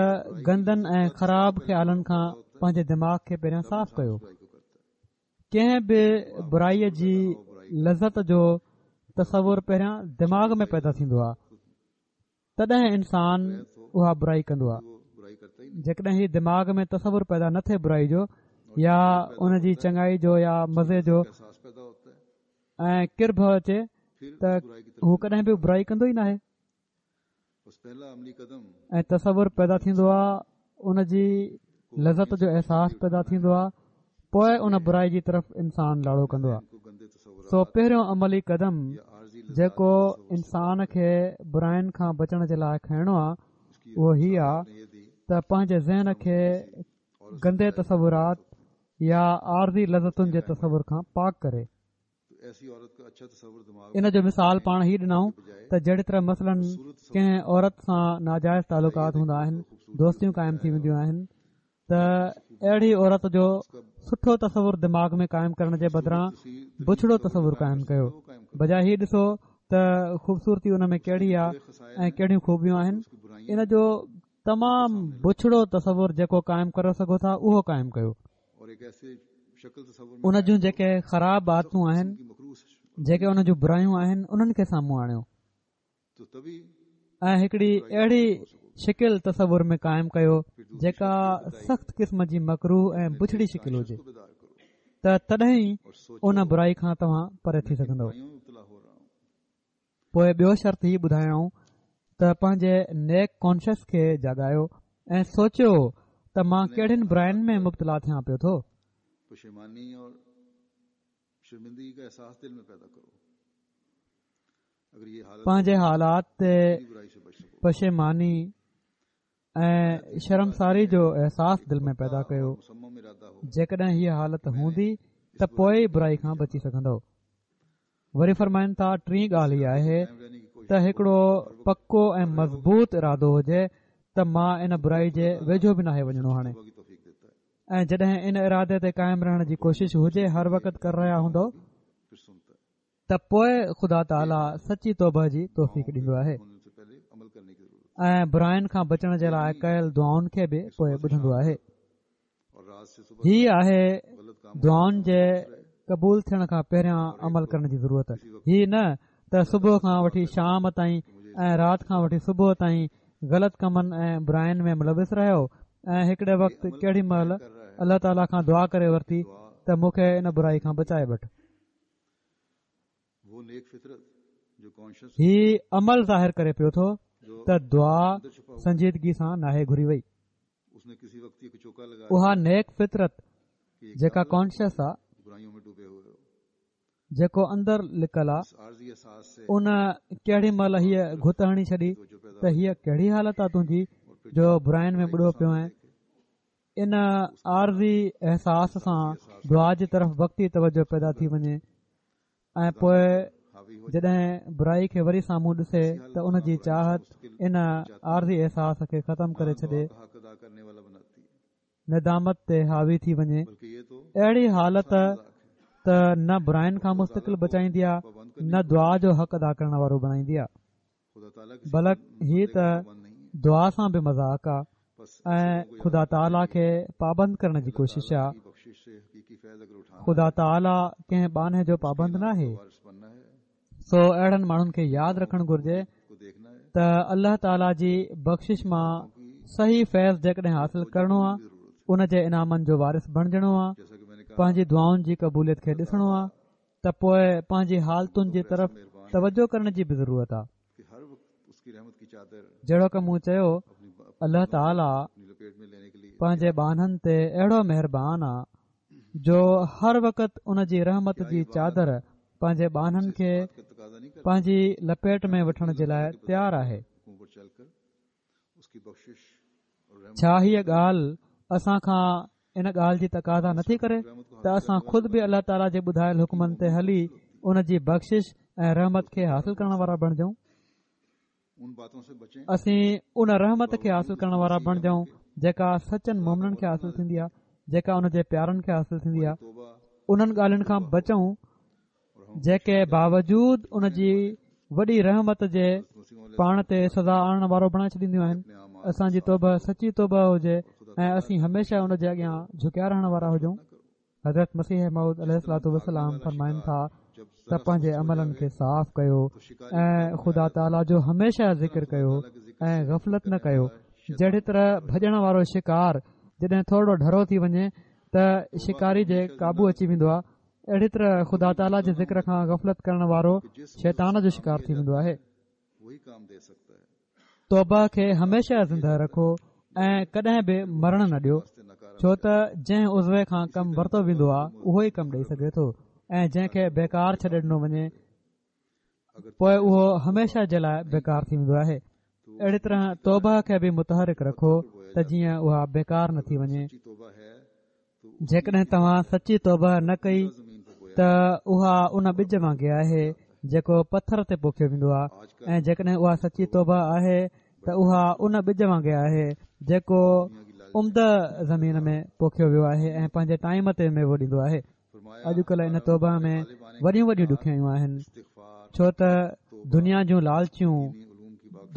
گندن ۽ خراب خيالن کان پنهنجي دماغ کي پهريان صاف ڪيو. ڪنهن به برائيءَ جي لذت جو تصور پهريان دماغ ۾ پيدا ٿيندو آهي، تڏهن انسان اها برائي ڪندو آهي. جيڪڏهن هي دماغ ۾ تصور پيدا نه ٿئي برائي جو يا ان جي چڱائي جو يا مزي جو ۽ ڪرڀ اچي ته هو ڪڏهن به برائي ڪندو ئي ناهي. ۽ تصور پيدا ٿيندو آهي، ان جي لذت جو احساس پيدا ٿيندو آهي، پوءِ ان برائي جي طرف انسان لاڙو ڪندو آهي. سو پهريون عملي قدم جيڪو انسان کي براين کان بچڻ جي لاءِ کڻڻو آهي اهو هي آهي ته پنهنجي ذهن کي گندي تصورات يا عارضي لذتن جي تصور کان پاڪ ڪري. ان جو مثال پاڻ هي ڏنائون ته جهڙي طرح مثلاً ڪنهن عورت سان ناجائز تعلقات هوندا آهن، دوستيون قائم ٿي وينديون آهن، ته اهڙي عورت جو سٺو تصور دماغ ۾ قائم ڪرڻ جي بدران بڇڙو تصور قائم ڪيو. بجاءِ هي ڏسو ته خوبصورتي ان ۾ ڪهڙي آهي ۽ ڪهڙيون خوبيون آهن، ان جو تمام بڇڙو تصور جيڪو قائم ڪري سگهو ٿا اهو قائم ڪيو. ان جون جيڪي خراب عادتون آهن، جيڪي ان جون برايون آهن، انهن کي سامهون آڻيو ۽ هڪڙي اهڙي شڪل تصور ۾ قائم ڪيو جيڪا سخت قسم جي مڪروه ۽ بڇڙي شڪل هجي، ته تڏهن ئي ان برائي کان توهان پري ٿي سگهندؤ. پوءِ ٻيو شرط هي ٻڌايائون ته پنهنجي نيڪ ڪانشس کي جاڳايو ۽ سوچيو ته ته مان ڪهڙين براين ۾ مبتلا ٿيان پيو ٿو. پنهنجي حالات تي پشيماني ۽ شرمساري جو احساس دل ۾ پيدا ڪيو. جيڪڏهن هيء حالت هوندي ته پوءِ ئي برائي کان بچي سگهندو. وري فرمائن ٿا ٽين ڳالهه هيءَ آهي ته هڪڙو پڪو ۽ مضبوط ارادو هجي ته مان ان برائي جي ويجهو به ناهي وڃڻو هاڻي، ۽ جڏهن ان ارادي تي قائم رهڻ جي ڪوشش هجي هر وقت ڪري رهيا هوندو ته پوءِ خدا تعاليٰ سچي توبه جي توفيق ڏيندو آهي ۽ براين کان بچڻ جي لاءِ ڪيل دعائن کي به پوءِ ٻڌندو آهي. هي آهي دعائن جي قبول ٿيڻ کان پهريان عمل ڪرڻ جي ضرورت. هي نه ته صبح کان وٺي شام تائين ۽ رات کان وٺي صبح تائين غلط ڪمن ۽ براين ۾ ملوث رهيو ۽ هڪڙي وقت ڪهڙي مهل الله تعاليٰ کان دعا ڪري ورتي ته مون کي ان برائي کان بچائي وٺ. هي عمل ظاهر ڪري پيو ٿو ته دعا سنجيدگي سان ناهي گهري وئي. اها نيڪ فطرت جيڪا ڪانشس آ، جيڪو اندر لڪل آ، ان ڪهڙي مهل هيءَ گهت هڻي ڇڏي ته هيءَ ڪهڙي حالت آ تنهنجي جو براين ۾ ٻڏو پيو آهين. ان عارضي احساس سان دعا جي طرف وقتي توجه پيدا ٿي وڃي ۽ پوءِ جڏهن برائي کي وري سامهون ڏسي ته ان جي چاهت ان عارضي احساس کي ختم ڪري ڇڏي، ندامت تي حاوي ٿي وڃي. اهڙي حالت ته نه براين کان مستقل بچائيندي آ نه دعا جو حق ادا ڪرڻ وارو بڻائيندي آ، بلڪ هي ته دعا سان به مذاق آ ۽ خدا تعاليٰ کي پابند ڪرڻ جي ڪوشش آ. خدا تعاليٰ ڪنهن ٻانهي جو پابند ناهي. سو اهڙن ماڻهن کي ياد رکڻ گهرجي ته الله تعاليٰ جي بخشش مان صحيح فيض جيڪڏهن حاصل ڪرڻو آ، ان جي انعامن جو وارث بڻجڻو آ، پنهنجي دعائن جي قبوليت کي ڏسڻو آ ته پوءِ پنهنجي حالتن جي طرف توجه ڪرڻ جي به ضرورت آ. جهڙوڪ مون چيو، الله تعاليٰ پنهنجي ٻانهن تي اهڙو مهربان آ جو هر وقت ان جي رحمت جي چادر پنهنجي ٻانهن کي پنهنجي لپيٽ ۾ وٺڻ جي لاءِ تيار آهي. ڇا هيءَ ڳالهه اسان کان ان ڳالهه جي تقاضا نٿي ڪري ته اسان خود به الله تعاليٰ جي ٻڌايل حڪمن تي هلي ان جي بخشش ۽ رحمت کي حاصل ڪرڻ وارا بڻجون؟ اسين ان رحمت کي حاصل ڪرڻ وارا بڻجون جيڪا سچن مومنن کي حاصل ٿيندي آهي، جيڪا ان جي پيارن کي حاصل ٿيندي آهي. انهن ڳالهين کان بچون جيڪي باوجود ان جي وڏي رحمت جي پاڻ تي سزا آڻڻ وارو بڻائي ڇڏينديون آهن. اسان جي توبه سچي توبه هجي ۽ اسين هميشه ان جي اڳيان جهڪيا رهڻ وارا هجون. حضرت مسيح موعود عليه الصلوة والسلام فرمائن ٿا ته پنهنجي عملن کي صاف ڪيو ۽ خدا تعاليٰ جو هميشه ذڪر ڪيو ۽ غفلت نه ڪيو. جهڙي طرح ڀڄڻ وارو شڪار جڏهن ٿورو ڍرو ٿي وڃي ته شڪاري جي قابو اچي ويندو آهي، اهڙي طرح خدا تعاليٰ جي ذڪر کان غفلت ڪرڻ وارو شيطان جو شڪار ٿي ويندو آهي. توبه کي هميشه زنده رکو ۽ ڪڏهن به مرڻ نه ڏيو، ڇو ته جنهن عضوي کان ڪم ورتو ويندو آهي اهو ئي ڪم ڏيئي سگهي ٿو، ۽ جنهن کي بيڪار ڇڏي ڏنو وڃي پوءِ اهو هميشه جي لاءِ بيڪار ٿي ويندو آهي. اهڙي طرح توبه کي به متحرڪ رکو ته جيئن اها بيڪار نه ٿي وڃي. جيڪڏهن توهان سچي توبه نه ڪئي ته اها ان ٻج وانگي آهي جيڪو پٿر تي پوکيو ويندو آهي، ۽ جيڪڏهن اها سچي توبه آهي ته اها ان ٻج وانگي آهي جيڪو عمده زمين ۾ پوکيو ويو آهي ۽ پنهنجي ٽائيم تي ميوو ڏيندو آهي. اڄڪلهه ان توبه ۾ وڏيون وڏيون ڏکيائيون آهن، ڇو ته دنيا جون لالچيون،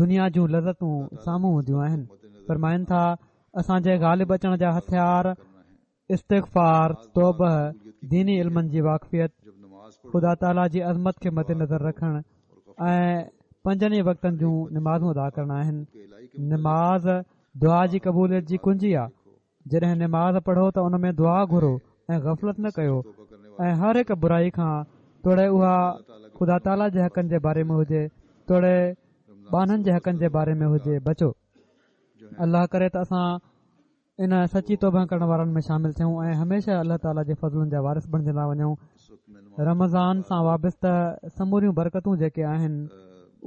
دنيا جون لذتون سامهون هونديون آهن. فرمائن ٿا اسان جي غالب اچڻ جا هٿيار استغفار، توبه، ديني علمن جي واقفيت، خدا تعاليٰ جي عظمت کي مد نظر رکڻ ۽ پنجن ئي وقتن جون نمازون ادا ڪرڻ آهن. نماز دعا جي قبوليت جي ڪنجي آهي. جڏهن نماز پڙهو ته ان ۾ دعا گهرو ۽ غفلت نه ڪيو، ۽ هر هڪ برائي کان توڙي اها خدا تعاليٰ جي حقن جي باري ۾ هجي توڙي ٻانهن جي حقن جي باري ۾ هجي بچو. الله ڪري ته اسان ان سچي توبه ڪرڻ وارن ۾ شامل ٿيون ۽ هميشه الله تعاليٰ جي فضلن جا وارث بڻجندا وڃون. رمضان سان وابسته سموريون برڪتون جيڪي آهن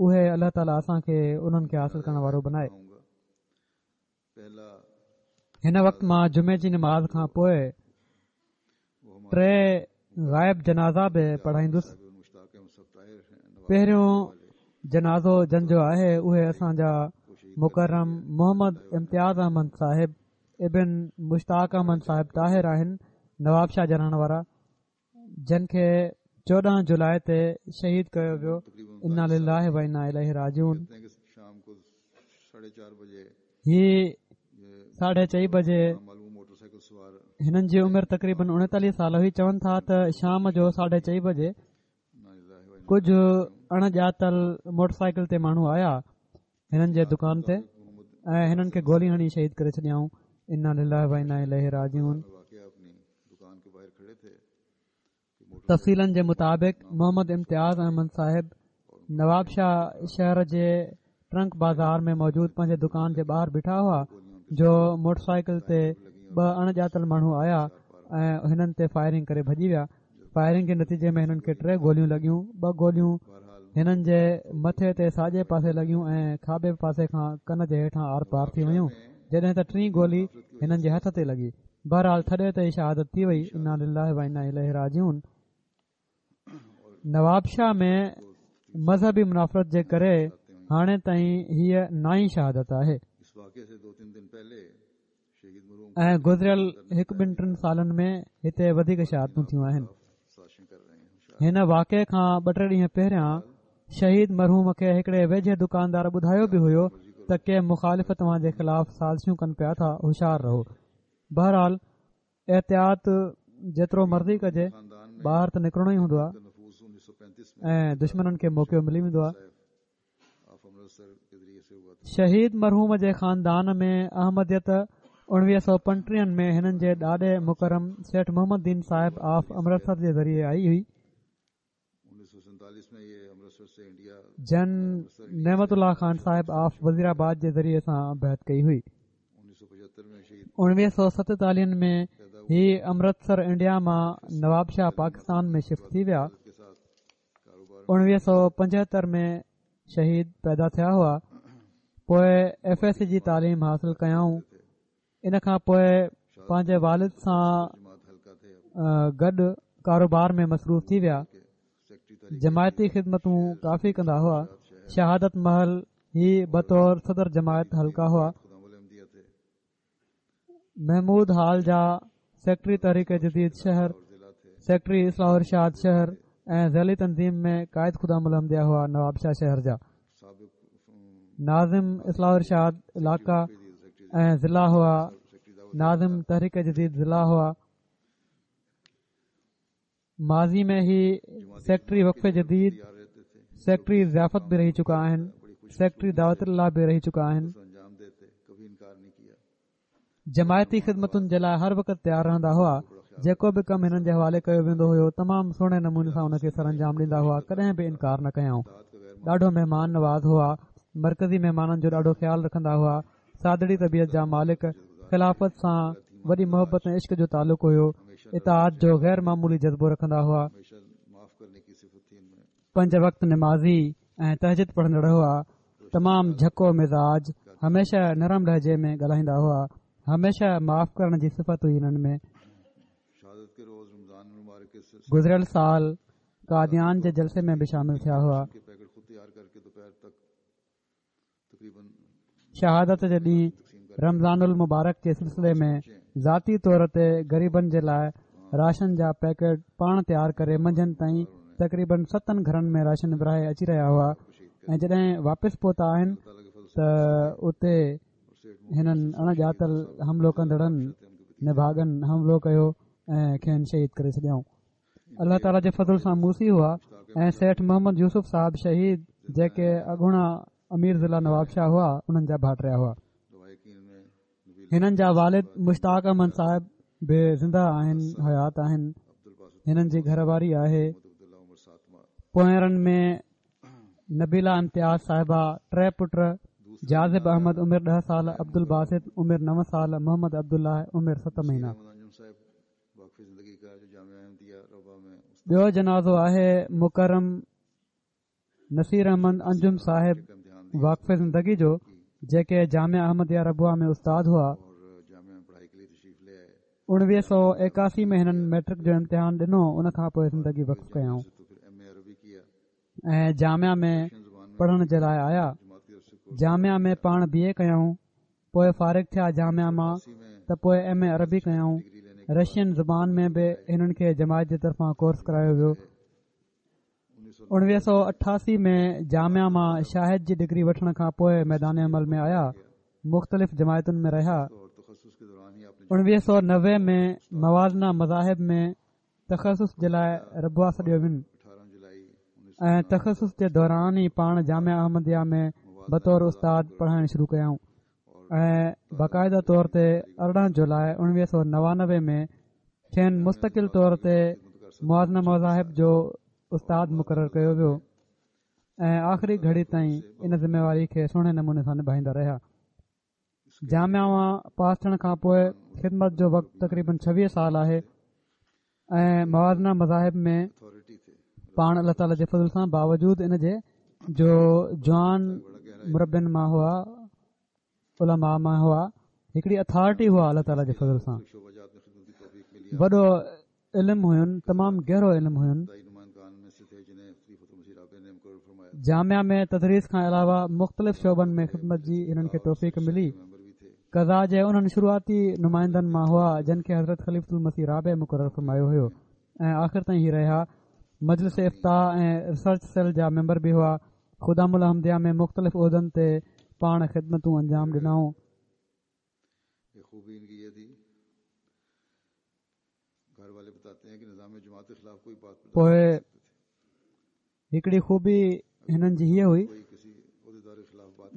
اهي الله تعاليٰ اسان کي انهن کي حاصل ڪرڻ وارو بڻائي. هن وقت مان جمعي جي نماز کان پوءِ ٽي غائب جنازا به پڙهائيندس. پهريون جنازو جن جو آهي اهي اسان جا مڪرم محمد امتياز احمد صاحب ابن مشتاق احمد صاحب طاهر آهن، نواب شاهه جا رهڻ وارا، جن کي چوڏهن جولاءِ تي شهيد ڪيو ويو. انا لله و انا اليه راجعون. هي ساڍي چئي بجي هنن جي عمر تقريبن اڻيتاليهه سال هئي. چون ٿا ته شام جو ساڍي چئي بجي ڪجهه اڻڄاتل موٽر سائيڪل تي ماڻهو آيا هنن جي دڪان تي ۽ هنن کي گولي هڻي شهيد ڪري ڇڏيائون. انا لله و انا اليه راجعون. تفصيلن جي مطابق محمد امتياز احمد صاحب نواب شاهه شهر جي ٽرنڪ بازار ۾ موجود پنهنجي دڪان جي ٻاهر بيٺا هئا جو موٽر سائيڪل تي ٻه اڻڄاتل ماڻهو آيا ۽ هنن تي فائرنگ ڪري ڀڄي ويا. فائرنگ جي نتيجي ۾ هنن کي ٽي گوليون لڳيون. ٻه گوليون هنن جي مٿي تي ساڄي پاسي لڳيون ۽ کاٻي پاسي کان ڪن جي هيٺان آر پار ٿي ويون، جڏهن ته ٽين گولي هنن جي هٿ تي لڳي. بهرحال ٿڏي تي ئي شهادت ٿي وئي. انا لله و انا اليه راجعون. نواب شاهه ۾ مذهبي منافرت جي ڪري هاڻي تائين هيءَ نائين شهادت آهي ۽ گذريل هڪ ٻن ٽن سالن ۾ هتي وڌيڪ شهادتون ٿيون آهن. هن واقعي کان ٻه ٽي ڏينهن پهريان شهيد مرحوم کي هڪڙي ويجهي دڪاندار ٻڌايو به هيو ته ڪي مخالف توهان جي خلاف سازشون ڪن پيا ٿا، هوشيار رهو. بهرحال احتياط جيترو مرضي ڪجي، ٻاهر ته نڪرڻو ئي هوندو آهي ۽ دشمنن کي موقعو ملي ويندو آهي. شهيد مرحوم جي خاندان ۾ احمديت اڻويهه سؤ پنٽيهن ۾ هنن جي ڏاڏي مڪرم سيٺ محمد دين صاحب آف امرتسر جي ذريعي آئي هئي، جن نعمت الله خان صاحب آف وزير آباد جي ذريعي سان بيعت ڪئي هئي. اڻويهه سؤ ستيتاليهن ۾ هي امرتسر انڊيا مان نواب شاهه پاڪستان ۾ شفٽ ٿي ويا. اڻويهه سؤ پنجهتر ۾ شهيد پيدا ٿيا هئا. پوءِ ايف ايس سي جي تعليم حاصل ڪيائون. ان کان پوءِ پنهنجي والد سان گڏ ڪاروبار ۾ مصروف ٿي ويا. جماعتي خدمتون ڪافي ڪندا هئا. شهادت مهل هي بطور صدر جماعت حلقه هئا. محمود هال جا سيڪريٽري تحريڪ جديد شهر، سيڪريٽري اصلاح ارشاد شهر ۽ ذيلي تنظيم ۾ قائد خدام الاحمديه هئا نواب شاهه شهر جا. ناظم اصلاح ارشاد علائقه ۽ ضلع هئا. ناظم تحريڪ جديد ضلع هئا. ماضي ۾ هي سيڪريٽري وقف جديد، سيڪريٽري ضيافت به رهي چڪا آهن، سيڪريٽري دعوت الله به رهي چڪا آهن. جماعتي خدمتن جي لاءِ هر وقت تيار رهندا هئا. جيڪو به ڪم هنن جي حوالي ڪيو ويندو هيو تمام سهڻي نموني سان ان کي سر انجام ڏيندا هئا، ڪڏهن به انڪار نه ڪيائون. ڏاڍو مهمان نواز هئا. مرڪزي مهمانن جو ڏاڍو خيال رکندا هئا. سادڙي طبيعت جا مالڪ، خلافت سان وڏي محبت ۽ عشق جو تعلق هيو. اطاعت جو غير معمولي جذبو رکندا هئا. پنج وقت نمازي ۽ تهجد پڙهندڙ هئا. تمام جهڪو مزاج، هميشه نرم لهجي ۾ ڳالهائيندا هئا. هميشه معاف ڪرڻ جي صفت هئي هنن ۾. گذريل سال قاديان جي جلسي ۾ به شامل ٿيا هئا. شهادت جي ڏينهن رمضان المبارڪ جي سلسلي ۾ ذاتي طور تي غريبن جي لاءِ راشن جا پيڪيٽ پاڻ تيار ڪري منجهند تائين تقريبن ستن گهرن ۾ راشن ورهائي اچي رهيا هئا ۽ جڏهن واپس پهتا آهن ته اتي هنن اڻڄاتل حملو ڪندڙن نڀاڳن حملو ڪيو ۽ کين شهيد ڪري ڇڏيائون. الله تعاليٰ جي فضل سان موصي هئا ۽ سيٺ محمد يوسف صاحب شهيد جيڪي اڳوڻا امير ضلع نواب شاهه هئا انهن جا ڀائٽيا هئا. هنن جا والد مشتاق احمد صاحب به زنده آهن، حيات آهن. هنن جي گهر واري آهي. پوئرن ۾ نبيلا امتياز صاحبه، ٽي پٽ جاذب احمد عمر ڏهه سال، عبدالباسط عمر نو سال، محمد عبدالله عمر ست مهينا. ٻيو جنازو آهي مڪرم نصير احمد انجم صاحب واقف زندگي جو، جيڪي جامعه احمديه ربوه ۾ استاد هئا. اڻويهه سؤ ايڪاسي ۾ هنن ميٽرڪ جو امتحان ڏنو، ان کان پوءِ زندگي وقف ڪيائون ۽ جامعه ۾ پڙهڻ جي لاءِ آيا. جامعه ۾ پاڻ بي اي ڪيائون، پوءِ فارغ ٿيا جامعه مان ته پوءِ ايم اي عربي ڪيائون. رشين زبان ۾ به هنن کي جماعت جي طرفان ڪورس ڪرايو ويو. اڻويهه سؤ اٺاسي ۾ جامعه مان شاهد جي ڊگري وٺڻ کان پوءِ ميدان عمل ۾ آيا، مختلف جماعتن ۾ رهيا. اڻويهه سؤ نوي ۾ موازنه مذاهب ۾ تخصص جي لاءِ ربوه سڏيو وين ۽ تخصص جي دوران ئي پاڻ جامعه احمديه ۾ بطور استاد پڙهائڻ شروع ڪيائون ۽ باقاعده طور تي ارڙهن جولاءِ اڻويهه سؤ نوانوي ۾ کين مستقل طور تي موازنه مذاهب جو استاد مقرر ڪيو ويو ۽ آخري گهڙي تائين ان ذميواري کي سهڻي نموني سان نڀائيندا رهيا. جامعه مان پاس ٿيڻ کان پوءِ خدمت جو وقت تقريبن ڇويهه سال آهي ۽ موازنه مذاهب ۾ پاڻ الله تعاليٰ جي فضل سان باوجود ان جي جو جوان مربين مان هئا، علماء مان هئا، هڪڙي اٿارٽي هئا، الله تعاليٰ جي فضل سان وڏو علم هين، تمام گهرو علم هين. جامعه ۾ تدريس کان علاوه مختلف شعبن ۾ خدمت جي هنن کي توفيق ملي. قضا جي انهن شروعاتي نمائندن مان هئا جن کي حضرت خليفة المسيح رابع مقرر فرمايو هيو ۽ آخر تائين هي رهيا. مجلس افتاء ۽ ريسرچ سيل جا ميمبر به هئا. خدام الاحمديه ۾ مختلف عهدن تي پاڻ خدمتون انجام ڏنائون. پوءِ هڪڙي خوبي هنن جي هيءَ هئي،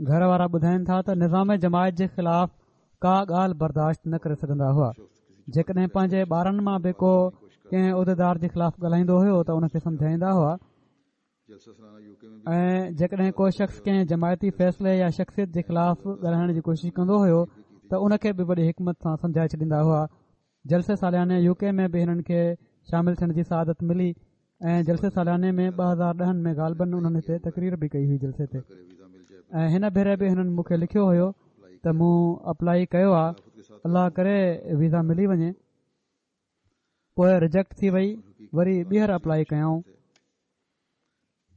گهر وارا ٻڌائين ٿا ته نظام جماعت جي خلاف ڪا ڳالهه برداشت نه ڪري سگهندا هئا. جيڪڏهن پنهنجي ٻارن مان به ڪو ڪنهن عهديدار جي خلاف ڳالهائيندو هيو ته ان کي سمجهائيندا هئا ۽ جيڪڏهن ڪو شخص ڪنهن جماعتي فيصلي يا شخصيت جي خلاف ڳالهائڻ جي ڪوشش ڪندو هيو ته ان کي به وڏي حڪمت سان سمجهائي ڇڏيندا هئا. جلسي سالياني يو ڪي ۾ به هنن کي شامل ٿيڻ جي سعادت ملي ۽ جلسي سالياني ۾ ٻه هزار ڏهن ۾ غالبن انهن هتي تقرير به ڪئي هئي جلسي تي. ۽ هن ڀيري به هنن مون کي لکيو هيو ته مون اپلائي ڪيو آهي، الله ڪري ويزا ملي وڃي. پوءِ رجيڪٽ ٿي وئي، وري ٻيهر اپلائي ڪيائون.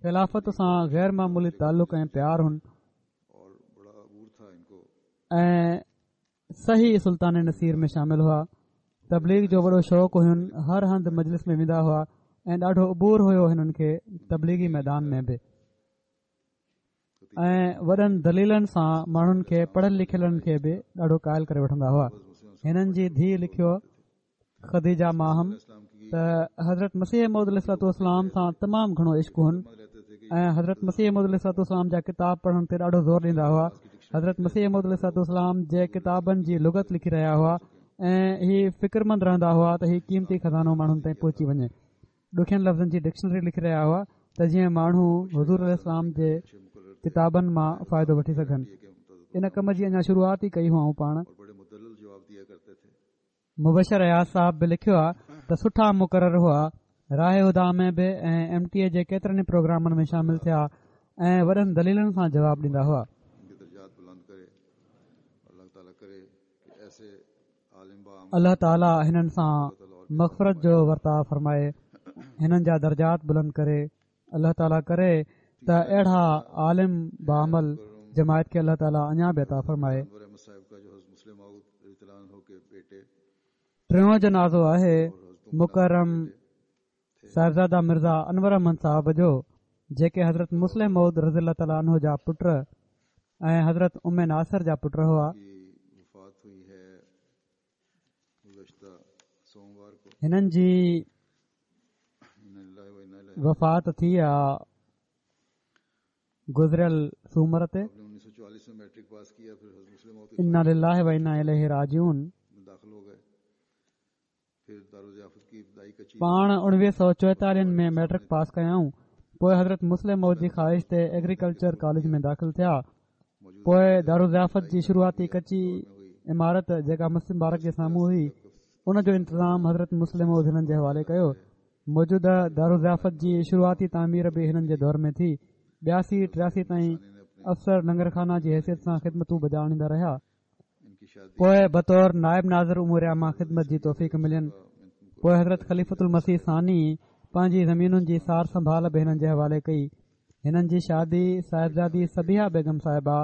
خلافت سان غير معمولي تعلق ۽ پيار هن ۽ صحيح سلطان نصير ۾ شامل هئا. تبليغ جو وڏو شوق هين، هر هنڌ مجلس ۾ ويندا هئا ۽ ڏاڍو عبور هيو هنن کي تبليغي ميدان ۾ به ۽ وڏن دليلن سان ماڻهن کي پڙهيل لکيلن کي به ڏاڍو قائل ڪري وٺندا هئا. هنن جي ڌيءُ لکيو خديجه ماهم ته حضرت مسيح موعود عليه الصلوة والسلام سان تمام گهڻو عشق هن ۽ حضرت مسيح موعود عليه الصلوة والسلام جا ڪتاب پڙهڻ تي ڏاڍو زور ڏيندا هئا. حضرت مسيح موعود عليه الصلوة والسلام جي ڪتابن جي لغت لکي رهيا هئا ۽ هي فڪرمند رهندا هئا ته هي قيمتي خزانو ماڻهن تائين پهچي وڃي. ڏکين لفظن جي ڊڪشنري لکي رهيا هئا ته جيئن ماڻهو حضور عليه السلام جي ڪتابن مان فائدو وٺي سگهن. ان ڪم جي اڃا شروعات ئي ڪئي هئائون پاڻ. مبشر اياز صاحب به لکيو آهي ته سٺا مقرر هئا، راهه هديٰ ۾ به ۽ ايم ٽي اي جي ڪيترن ئي پروگرامن ۾ شامل ٿيا ۽ وڏن دليلن سان جواب ڏيندا هئا. الله تعاليٰ هنن سان مغفرت جو ورتاءُ فرمائي، هنن جا درجات بلند ڪري. الله تعاليٰ ڪري ته اهڙا عالم باعمل جماعت کي الله تعاليٰ اڃا به عطا فرمائي. ٽيون جنازو آهي مڪرم صاحبزاده مرزا انور احمد صاحب جو، جيڪي حضرت مصلح موعود رضي الله تعاليٰ عنه جا پٽ ۽ حضرت ام ناصر جا پٽ هئا. هنن جي وفات ٿي آ گذريل سومر تي. انا لله و انا اليه راجعون. پاڻ اڻويهه سؤ چوئيتاليهن ۾ ميٽرڪ پاس ڪيائون. پوءِ حضرت مصلح موعود جي خواهش تي ايگريڪلچر ڪاليج ۾ داخل ٿيا. پوءِ دارالضيافت جي شروعاتي ڪچي عمارت جيڪا مسجد مبارڪ جي سامهون هئي ان جو انتظام حضرت مصلح موعود هنن جي حوالي ڪيو. موجوده دارالضيافت جي شروعاتي تعمير به هنن جي دور ۾ ٿي. ٻياسي ٽياسي تائين افسر لنگرخانه جي حيثيت سان خدمتون بجا آڻيندا رهيا. پوءِ بطور نائب ناظر امور عامه خدمت جي توفيق ملين. پوءِ حضرت خليفة المسيح ثاني پنهنجي زمينن جي سار سنڀال به هنن جي حوالي ڪئي. هنن جي شادي صاحبزادي صبيحه بيگم صاحبه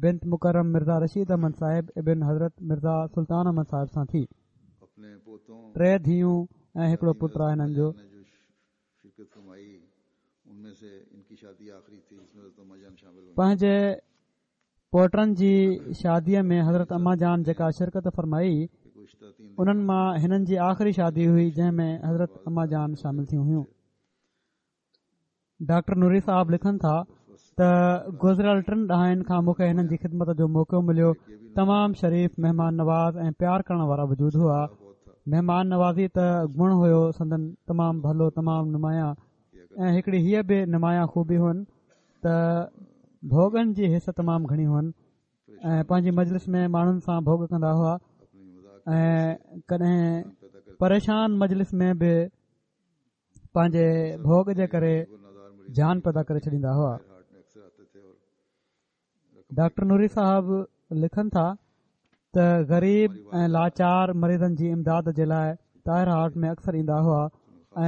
بنت مڪرم مرزا رشيد احمد صاحب ابن حضرت مرزا سلطان احمد صاحب سان ٿي. ٽي ڌيئون ۽ هڪڙو پٽ آهي هنن جو. پنهنجي پوٽن جي شاديءَ ۾ حضرت اما جان جيڪا شرڪت فرمائي انهن مان هنن جي آخري شادي هئي جنهن ۾ حضرت اما جان شامل ٿيون هيون. ڊاڪٽر نوري صاحب لکن ٿا ته گذريل ٽن ڏهائن کان مون کي هنن جي خدمت جو موقعو مليو. تمام شريف، مهمان نواز ۽ پيار ڪرڻ وارا وجود هئا. مهمان نوازي ته گڻ هيو سندن تمام ڀلو، تمام نمايان. ۽ هڪڙي هيءَ به نمايان خوبي هئن ته ڀوڳن جي حص تمام گهڻي هئن ۽ پنهنجي مجلس ۾ ماڻهن سان ڀوڳ ڪندا هئا ۽ ڪڏهن پريشان مجلس ۾ به پنهنجي ڀوڳ جي ڪري جان پيدا ڪري ڇڏيندا هئا. ڊاڪٽر نوري صاحب لکن ٿا ته غريب ۽ لاچار مريضن جي امداد جي لاءِ طاهر هارٽ ۾ اڪثر ايندا هئا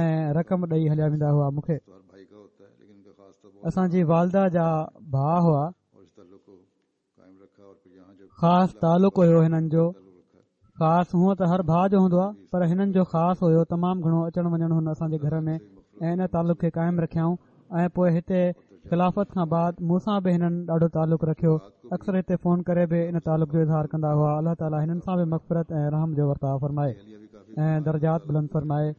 ۽ رقم ڏيئي هليا ويندا هئا. مون کي اسان جي والده جا ڀاءُ هئا، خاص تعلق هيو هنن جو. خاص هونئن ته هر ڀاءُ جو هوندو آهي پر هنن جو خاص هيو. تمام گهڻو اچڻ وڃڻ هن اسان جي گهر ۾ ۽ ان تعلق کي قائم رکيائون. ۽ پوءِ هتي خلافت کان بعد مون سان به هنن ڏاڍو تعلق رکيو. اڪثر هتي فون ڪري به ان تعلق جو اظهار ڪندا هئا. الله تعاليٰ هنن سان به مغفرت ۽ رحم جو ورتاءُ فرمائي ۽ درجات بلند فرمائي.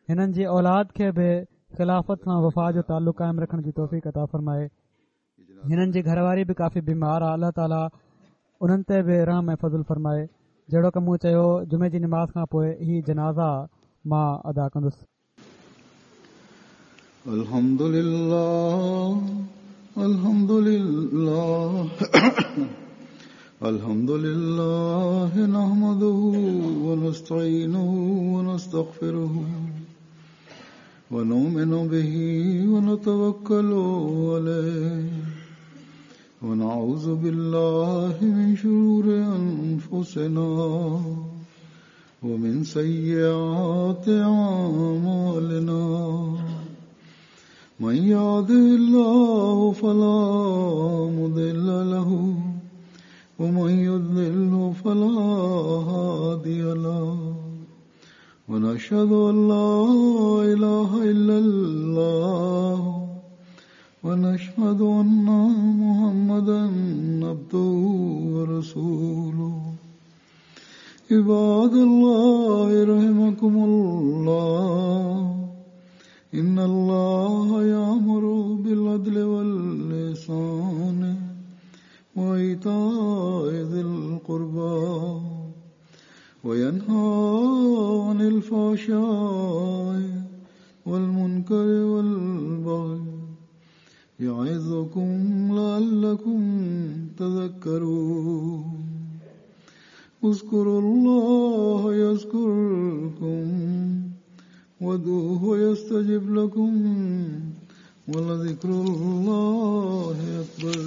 هنن جي اولاد کي به خلافت سان وفا جو تعلق قائم رکڻ جي توفيق عطا فرمائي. هنن جي گهر واري به ڪافي بيمار آهي. الله تعاليٰ انهن تي به رحم ۽ فضل فرمائي. جهڙوڪ مون چيو جمعي جي نماز کان پوءِ هي جنازا مان ادا ڪندس. الحمد لله الحمد لله الحمد لله نحمده ونستعينه ونستغفره ونؤمن به ونتوكل عليه ونعوذ بالله من شرور أنفسنا ومن سيئات أعمالنا من يهده الله فلا مضل له ومن يضلل فلا هادي له ونشهد أن لا إله إلا الله ونشهد أن محمدا عبده ورسوله. عباد الله رحمكم الله، إن الله يأمر بالعدل والإحسان وإيتاء ذي القربى وينهى عن الفحشاء والمنكر والبغي يعظكم لعلكم تذكرون. اذكروا الله يذكركم وادعوه يستجب لكم ولذكر الله أكبر.